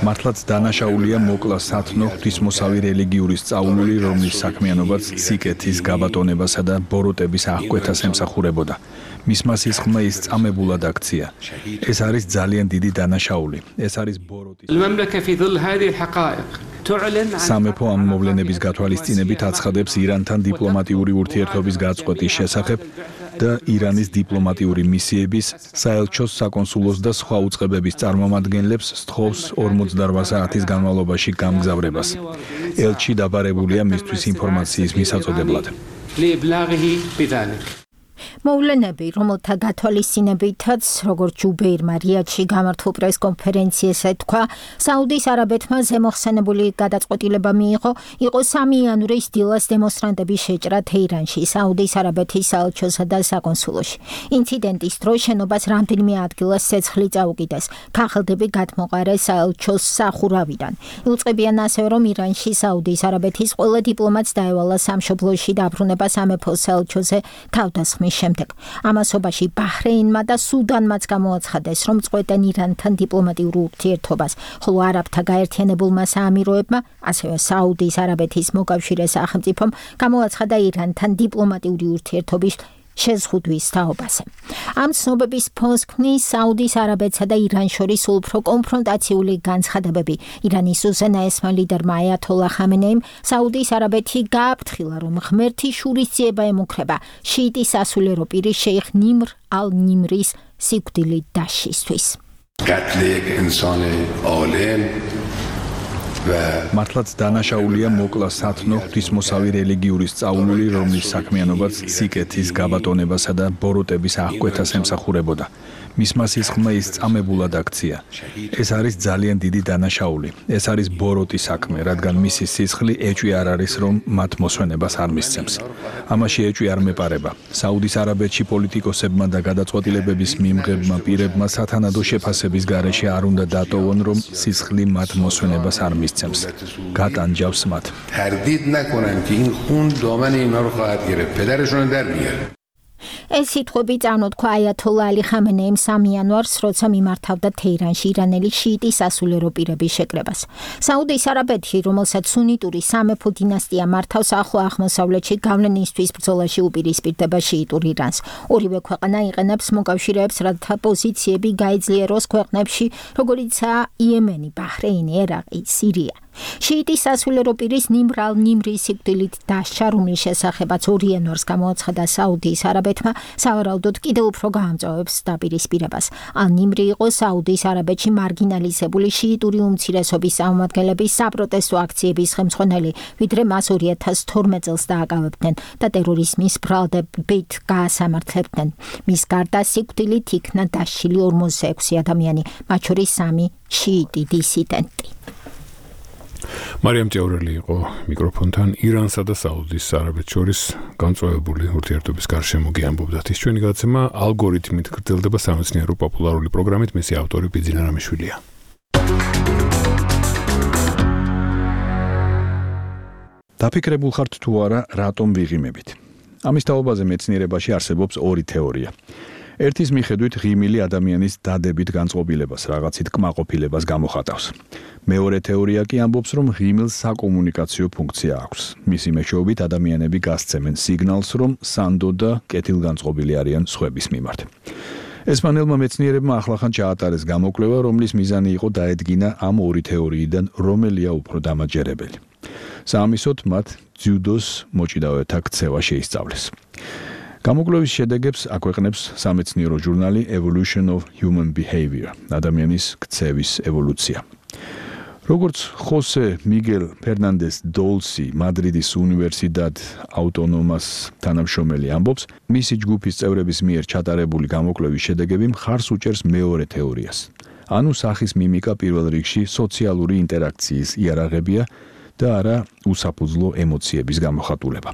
მართლაც დანაშაულია მოკლა სათნო ღვთისმოსავი რელიგიური სწავლული, რომლის საქმიანობაც სიკეთის გაბატონებასა და ბოროტების აღკვეთას ემსახურებოდა. მისმა სისხლმა ის წამებულად აქცია. ეს არის ძალიან დიდი დანაშაული. ეს არის ბოროტის. المملكة في ظل هذه الحقائق تعلن სამეფო ამ მოვლენების გათვალისწინებით აცხადებს ირანთან დიპლომატიური ურთიერთობის გაწყვეტის შესახებ და ირანის დიპლომატიური მისიების, საელჩოს, საკონსულოს და სხვა უწყებების წარმომადგენლებს სთხოვს ორმოცდაოთხ საათის განმავლობაში გამგზავრებას. ელჩი დაბარებულია მისთვის ინფორმაციის მისაწოდებლად. მოვლენები, რომელთა გათვალისწინებითაც, როგორც ჯუბეირმა რიადში გამართულ პრესკონფერენციაზე თქვა, საუდის არაბეთმა ზემოხსენებული გადაწყვეტილება მიიღო, იყო სამი იანვრის დილას დემონსტრანტების შეჭრა თეირანში, საუდის არაბეთის საელჩოსა და საკონსულოში. ინციდენტის დროს შენობას რამდენიმე ადგილას ცეცხლი წაუკიდეს, ქაღალდები გადმოყარეს საელჩოს სახურავიდან. იუწყებიან ასევე, რომ ირანში საუდის არაბეთის ყველა დიპლომატს დაევალა სამშობლოში დაბრუნება სამეფო საელჩოზე თავდასხმის შემდეგ. ამასობაში ბაჰრეინმა და სუდანმაც გამოაცხადეს, რომ წყვეტენ ირანთან დიპლომატიურ ურთიერთობას, ხოლო არაბთა გაერთიანებულმა საამიროებმა, ასევე საუდის არაბეთის მოკავშირე სახელმწიფომ გამოაცხადა ირანთან დიპლომატიური ურთიერთობის შეზღუდვის თაობაზე. ამ ცნობების ფონს ქმნის საუდის არაბეთსა და ირანს შორის უფრო კონფრონტაციული განცხადებები. ირანის უზენაესმა ლიდერმა აიათოლა ხამენეიმ საუდის არაბეთი გააფრთხილა, რომ ღმერთის შურისძიება ემუქრება შიიტის სასულიერო პირის შეიხ ნიმრ ალ-ნიმრის სიკვდილით დასჯისთვის. قتل یک انسان عالم მართლაც დანაშაულია მოკლა სათნო ღვთისმოსავი რელიგიური სწავლული, რომლის საქმიანობაც სიკეთის გაბატონებასა და ბოროტების აღკვეთას ემსახურებოდა. მისმა სისხლმა ის წამებულად აქცია. ეს არის ძალიან დიდი დანაშაული. ეს არის ბოროტი საქმე, რადგან მისი სისხლი ეჭვი არ არის, რომ მათ მოსვენებას არ მისცემს. ამაში ეჭვი არ მეპარება. საუდის არაბეთში პოლიტიკოსებმა და გადაწყვეტილებების მიმღებმა პირებმა სათანადო შეფასების გარეშე არ უნდა დატოვონ, რომ სისხლი მათ მოსვენებას არ მისცემს. გატანჯავს მათ. تردید نکنن که این خون دامن اینا رو خواهد گرفت. پدرشون در میاره. ეს სიტყვები წამოთქვა აიათოლა ალი ხამენეიმ სამი იანვარს, როცა მიმართავდა თეირანში ირანელი შიიტი სასულიერო პირების შეკრებას. საუდის არაბეთი, რომელსაც სუნიტური სამეფო დინასტია მართავს, ახლო აღმოსავლეთში გავლენისთვის ბრძოლაში უპირისპირდება შიიტურ ირანს. ორივე ქვეყანა იყენებს მოკავშირეებს, რათა პოზიციები გაეძლიეროს ქვეყნებში, როგორიცაა იემენი, ბაჰრეინი, ერაყი, სირია. შიიტის სასულიერო პირის ნიმრ ალ-ნიმრი სიკვდილით დასჯა, რომლის შესახებაც ორი იანვარს გამოაცხადა საუდის არაბეთმა, სავარაუდოდ კიდევ უფრო გაამწვავებს დაპირისპირებას. ალ-ნიმრი იყო საუდის არაბეთში მარგინალიზებული შიიტური უმცირესობის წარმომადგენლების საპროტესტო აქციების ხელმძღვანელი, ვიდრე მას ორი ათას თორმეტ წელს დააკავებდნენ და ტერორიზმის ბრალდებით გაასამართლებდნენ. მის გარდა სიკვდილით იქნა დასჯილი ორმოცდაექვსი ადამიანი, მათ შორის სამი შიიტი დისიდენტი. მარიამ ჭეურელი იყო მიკროფონთან ირანსა და საუდის არაბეთს შორის განწვევებული ურთიერთობის გარშემო გიამბობდა. ის ჩვენი გადაცემა ალგორითმით გრძელდება სამეცნიერო პოპულარული პროგრამით, მისი ავტორი ბიძინა რამიშვილია. დაფიქრებულ ხართ თუ არა რატომ ვიღიმებით? ამის თაობაზე მეცნიერებაში არსებობს ორი თეორია. ერთის მიხედვით ღიმილი ადამიანის დადებით განწყობილებას, რაღაცით კმაყოფილებას გამოხატავს. მეორე თეორია კი ამბობს, რომ ღიმილს საკომუნიკაციო ფუნქცია აქვს. მისი მეშვეობით ადამიანები გასცემენ სიგნალს, რომ სანდო და კეთილგანწყობილი არიან სხვების მიმართ. ესპანელმა მეცნიერებმა ახლახან ჩაატარეს გამოკვლევა, რომლის მიზანი იყო დაედგინა ამ ორი თეორიიდან რომელია უფრო დამაჯერებელი. საამისოდ მათ ძიუდოს მოჭიდავეთა ქცევა შეისწავლეს. გამოკვლევის შედეგებს აქვეყნებს სამეცნიერო ჟურნალი Evolution of Human Behavior, ადამიანის ქცევის ევოლუცია. როგორც ხოსე მიგელ ფერნანდეს დოლსი მადრიდის უნივერსიტეტ აუტონომას თანამშრომელი ამბობს, მისი ჯგუფის წევრების მიერ ჩატარებული გამოკვლევის შედეგები მხარს უჭერს მეორე თეორიას. ანუ სახის მიმიკა პირველ რიგში სოციალური ინტერაქციის იარაღებია და არა უსაფუძვლო ემოციების გამოხატულება.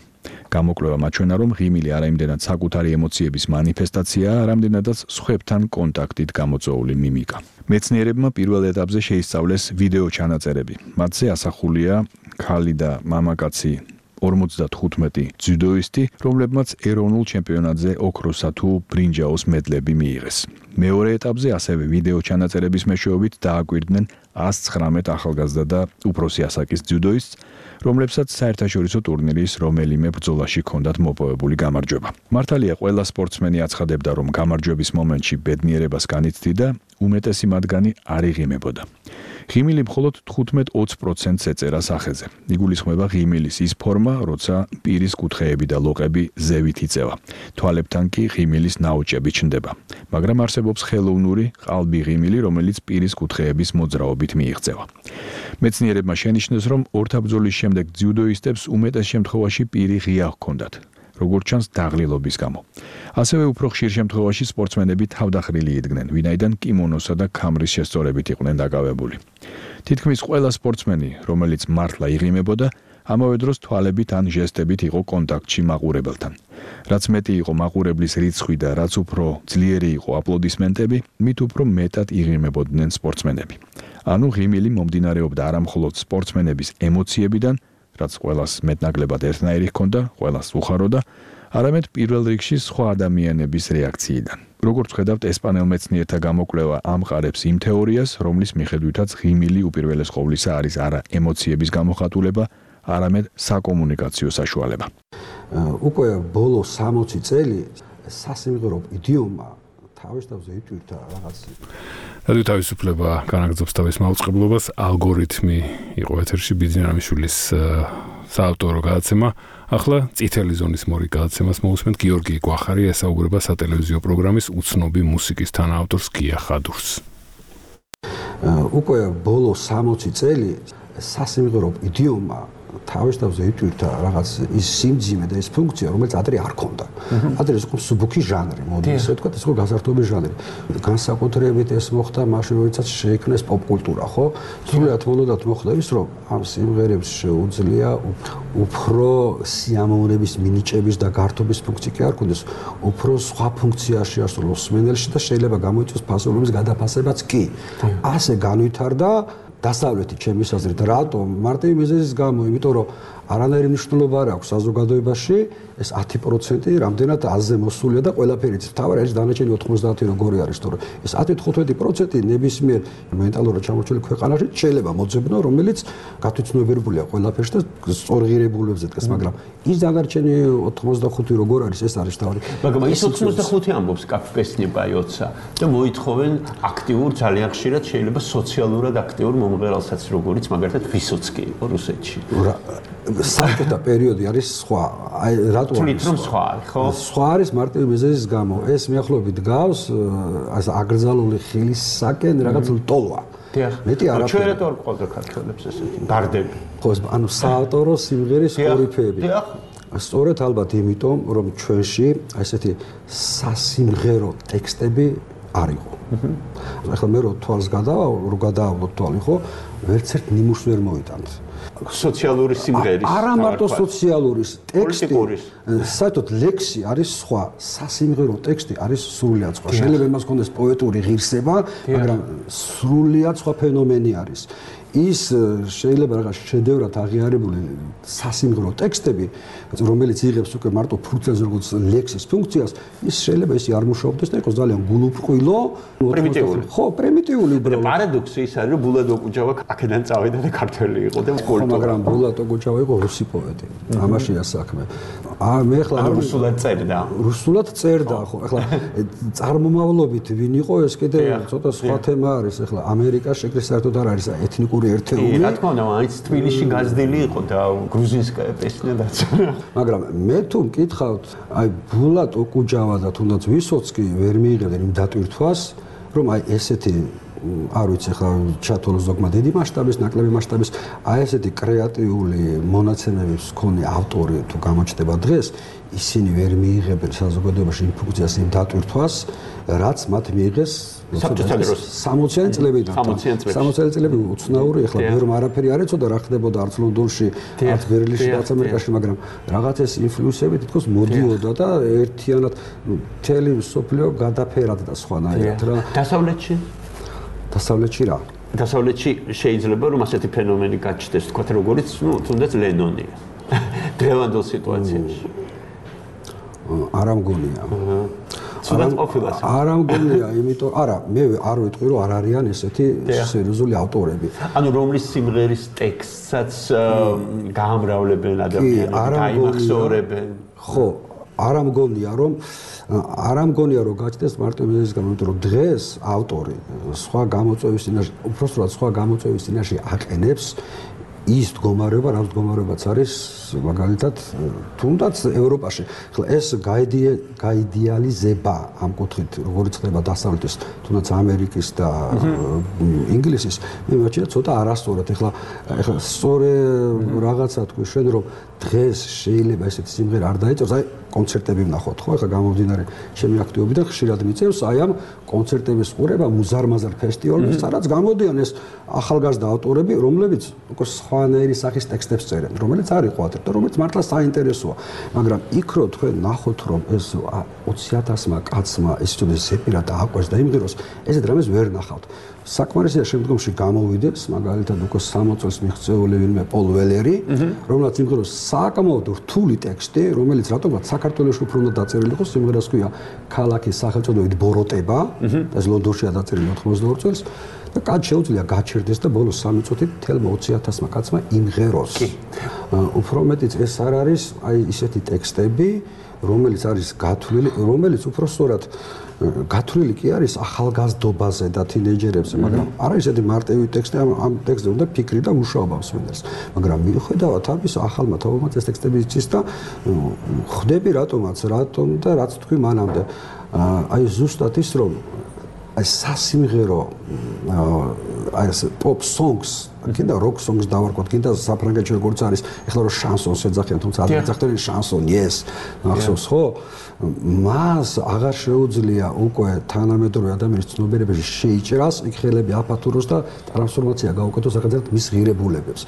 გამოკვლევა მაჩვენა, რომ ღიმილი არა იმდენად საკუთარი ემოციების მანიფესტაციაა, რამდენადაც სხვებთან კონტაქტით გამოწვეული მიმიკა. მეცნიერებმა პირველ ეტაპზე შეისწავლეს ვიდეო ჩანაწერები. მათზე ასახულია ქალი და მამაკაცი ორმოცდათხუთმეტი ძიუდოისტი, რომლებმაც ეროვნულ ჩემპიონატზე ოქროსა თუ ბრინჯაოს მედლები მიიღეს. მეორე ეტაპზე ასევე ვიდეო ჩანაწერების მეშვეობით დააკვირდნენ ას ცხრამეტ ახალგაზრდა და უფროსი ასაკის ძიუდოისტს, რომლებსაც საერთაშორისო ტურნირის რომელიმე ბრძოლაში ჰქონდათ მოპოვებული გამარჯვება. მართალია, ყველა სპორტსმენი აცხადებდა, რომ გამარჯვების მომენტში ბედნიერებას განიცდიდა, უმეტესი მათგანი არ იღიმებოდა. ღიმილი მხოლოდ თხუთმეტ ოცი პროცენტს ეწერა სახეზე. იგულისხმება ღიმილის ის ფორმა, როცა პირის კუთხეები და ლოყები ზევით იწევა. თვალებთან კი ღიმილის ნაოჭები ჩნდება. მაგრამ არსებობს ხელოვნური ყალბი ღიმილი, რომელიც პირის კუთხეების მოძრაობით მიიღწევა. მეცნიერებმა შენიშნეს, რომ ორთაბრძოლის შემდეგ ძიუდოისტებს უმეტეს შემთხვევაში პირი ღია ჰქონდათ, როგორც ჩანს დაღლილობის გამო. ასევე უფრო ხშირ შემთხვევაში სპორტსმენები თავდახრილი იდგნენ, ვინაიდან კიმონოსა და ქამრის შესწორებით იყვნენ დაკავებული. თითქმის ყველა სპორტსმენი, რომელიც მართლა იღიმებოდა, ამავე დროს თვალებით ან ჟესტებით იყო კონტაქტში მაყურებელთან. რაც მეტი იყო მაყურებლის რიცხვი და რაც უფრო ძლიერი იყო აპლოდისმენტები, მით უფრო მეტად იღიმებოდნენ სპორტსმენები. ანუ ღიმილი მომდინარეობდა არა მხოლოდ სპორტსმენების ემოციებიდან, რაც ყველას მეტნაკლებად ერთნაირი ჰქონდა, ყველას უხაროდა, არამედ პირველ რიგში სხვა ადამიანების რეაქციიდან. როგორც ხედავთ, ესპანელ მეცნიერთა გამოკვლევა ამყარებს იმ თეორიას, რომლის მიხედვითაც ღიმილი უპირველეს ყოვლისა არის არა ემოციების გამოხატულება, არამედ საკომუნიკაციო საშუალება. უკვე ბოლო სამოცი წელი სასიმღერო იდიომა თავის თავზე იტვირთა რაღაც. რადიო თავისუფლება განაგრძობს თავის მაუწყებლობას, ალგორითმი იყო ეთერში ბიძინა რამიშვილის საავტორო გადაცემა. ახლა წითელი ზონის მორი გადაცემას მოусმენთ გიორგი გვახარი ესაუბრება სატელევიზიო პროგრამის უცნობი მუსიკის თანაავტორს გია ხადურს. უკვე ბოლო სამოცი წელი სასიმღერო იდიომა თავისთავად იტვირთა რაღაც ის სიმძიმე და ის ფუნქცია, რომელიც ადრე არ ქონდა. ადრე ეს იყო მსუბუქი ჟანრი, მოდი ესე ვთქვათ, ეს იყო გასართობი ჟანრი. განსაკუთრებით ეს მოხდა მაშინ, როდესაც შეიქმნეს პოპ-კულტურა, ხო? სრულიად მოლოდათ მოხდების, რომ ამ სიმღერებს შეუძლია უფრო სიამოვნების, მინიჭების და გართობის ფუნქცია კი არ ქონდეს, უფრო სხვა ფუნქცია შეასრულოს მსმენელში და შეიძლება გამოიწვიოს ფასოვნების გადაფასებაც კი. ასე განვითარდა დასავლეთი ჩემის აზრით. რატომ? მარტივი მიზეზის გამო, იმიტომ რომ არანაირი მნიშვნელობა არ აქვს საზოგადოებაში ეს ათი პროცენტი რამდენად აზზე მოსულია და ყველაფერი თავი არის დანარჩენი ოთხმოცდაათი როგორი არის, თორე ეს ათი თხუთმეტი პროცენტი ნებისმიერ მენტალურად ჩამორჩენილ ქვეყანაში შეიძლება მოძებნო, რომელიც გათვითცნობიერებულია ყველაფერში და სწორღირებულებებზე დგას, მაგრამ ის დანარჩენი ოთხმოცდახუთი როგორ არის, ეს არის თავი. მაგრამ ის ოთხმოცდახუთი ამბობს კაფესნებაიოცა და მოითხოვენ აქტიურ, ძალიან ხშირად შეიძლება სოციალურად აქტიურ მომღერალსაც, როგორიც მაგალითად ვისოცკი იყო რუსეთში. საბჭოთა პერიოდი არის სხვა. აი რატო თვლით რომ სხვა არის, ხო? სხვა არის მარტივი მიზეზის გამო. ეს მიახლოებით გავს ასე აკრძალული ხილისაკენ რაღაც ლტოლვა. დიახ. მეტი არაფერი. ჩვენ რატო არ ყავდა ქართველებს ესეთი ბარდები? ხო, ანუ საავტორო სიმღერის კორიფეები. დიახ. სწორედ ალბათ იმიტომ, რომ ჩვენში ესეთი სასიმღერო ტექსტები არ იყო. ახლა მე რო თვალს გადავალ, რო გადაავლოთ თვალი, ხო? ვერც ერთ ნიმუშს ვერ მოიტანთ. სოციალური სიმღერის არა მარტო სოციალური ტექსტი, საერთოდ ლექსი არის სხვა, სასიმღერო ტექსტი არის სრულიად სხვა. შეიძლება იმას ქონდეს პოეტური ღირსება, მაგრამ სრულიად სხვა ფენომენი არის. ის შეიძლება რაღაც შედევრად აღიარებული სასიმღერო ტექსტები, რომელიც იღებს უკვე მარტო ფუნქციას, როგორც ლექსის ფუნქციას, ის შეიძლება ისე არ მუშაობდეს და იყოს ძალიან გულუბრყვილო, პრიმიტიული. ხო, პრიმიტიული უბრალოდ. პარადოქსი ის არის, რომ ბულატ ოკუჯავა აქედან წავიდა და ქართველი იყო და ხო, მაგრამ ბულატ ოკუჯავა იყო რუსი პოეტი. ამაშია საქმე. აა მე ხლა რუსულად წერდა. რუსულად წერდა, ხო. ახლა წარმომავლობით ვინ იყო ეს კიდე ცოტა სხვა თემა არის. ახლა ამერიკა შეკრეს საერთოდ არ არის ეთნიკური ერთეული. რა თქმა უნდა, მაინც თბილისში გაზრდილი იყო და გრუზინსკაია პესნედაც. მაგრამ მე თუ მკითხავთ, აი ბულატ ოკუჯავა და თუნდაც ვისოცკი ვერ მიიღებდნენ იმ დატვირთვას, რომ აი ესეთი არ ვიცი ხა ჩათვალოს ზოგმა დიდი მასშტაბის, ნაკლები მასშტაბის, აი ესეთი კრეატიული მონაცემების მქონე ავტორი თუ გამოჩნდება დღეს, ისინი ვერ მიიღებენ საზოგადოებაში იმ ფუნქციას, იმ დატვირთვას, რაც მათ მიიღეს სამოციანი წლებიდან. სამოციანი წლები უცნაური, ახლა ბევრ არაფერი არ ეცოდა რა ხდებოდა არც ლონდონში, არც ბერლინში, არც ამერიკაში, მაგრამ რაღაც ეს ინფლუენსები თითქოს მოდიოდა და ერთიანად მთელი მსოფლიო გადაფერდა სხვანაირად რა. დასავლეთში? დასავლეთში რა? დასავლეთში შეიძლება რომ ასეთი ფენომენი გაჩნდეს, თქვათ როგორც, ну, თუნდაც ლენონია. დღევანდელ სიტუაციაში. არა მგონია. ცუდად ყოფილა. არა მგონია, იმიტომ, არა, მე არ ვიტყვი რომ არ არიან ესეთი სერიოზული ავტორები. ანუ რომლის სიმღერის ტექსტსაც გაამრავლებენ ადამიანები, გაიმახსოვრებენ. ხო, არა მგონია რომ არა მგონია რომ გაჩნდეს მარტო მიზეზის გამო, იმიტომ რომ დღეს ავტორი სხვა გამოწვევის წინაშე, უბრალოდ სხვა გამოწვევის წინაშე აყენებს ის მდგომარეობა, რა მდგომარეობაც არის მაგალითად თუნდაც ევროპაში. ხლა ეს გაიდეალიზება ამ კუთხით, როგორც ხდება დასავლეთის, თუნდაც ამერიკის და ინგლისის, მე მგონია ცოტა არასწორად. ხლა ხლა სწორე რაღაცა თქვი შენ რომ დღეს შეიძლება ესეთი სიმღერა არ დაიწეროს, აი კონცერტები ვნახოთ, ხო? ხლა გამომდინარე ჩემი აქტივობიდან ხშირად მიწევს აი ამ კონცერტების ყურება, მუზარმაზარ ფესტივალებს, სადაც გამოდიან ეს ახალგაზრდა ავტორები, რომლებიც უკვე სხვანაირი სახის ტექსტებს წერენ, რომელიც არ იყო ათი და რომელიც მართლა საინტერესოა. მაგრამ იქ რო თქვენ ნახოთ რომ ეს ოცი ათასმა კაცმა ეს თუნდაც ზეპირად ააყვეს და იმღეროს, ესეთ რამეს ვერ ნახავთ. საკმარისია შემდგომში გამოვიდეს, მაგალითად უკვე სამოცი წელს მიღწეული ვინმე პოლ ველერი, რომელსაც იმღეროს საკმაოდ რთული ტექსტი, რომელიც რატომღაც საქართველოში უფრო უნდა დაწერილი იყოს, სიმღერას ქვია ქალაქის სახელწოდებით ბოროტება, ეს ლონდონშია დაწერილი ოთხმოცდაორი წელს. და კაც შეუძლია გაჩერდეს და ბოლოს სამი წუთით თელ ოცი ათასმა კაცმა იმღეროს. უფრო მეტიც ეს არ არის აი ისეთი ტექსტები, რომელიც არის გათვლილი, რომელიც უფრო სწორად გათვლილი კი არის ახალგაზრდობაზე და თინეიჯერებზე, მაგრამ არა ისეთი მარტივი ტექსტი, ამ ამ ტექსტზე უნდა ფიქრი და მუშაობა მსმენელს. მაგრამ მიუხედავად ამისა, ახალმა თაობამაც ეს ტექსტები იცის და ხვდები რატომაც, რატომ და რაც თქვი მანამდე. აი ზუსტად ის რომ აი სასიმღერო აი ეს pop songs კიდე rock songs დავარქვათ, კიდე საფრანგეთში როგორც არის, ეხლა რომ შანსონს ეძახიან, თუმცა არ ეძახდნენ შანსონ, yes, ახსოვს ხო? მას აღარ შეუძლია უკვე თანამედროვე ადამიანის ცნობიერებაში შეიჭრას, იქ ხელები აფათუროს და ტრანსფორმაცია გაუკეთოს ახალ მის ღირებულებებს.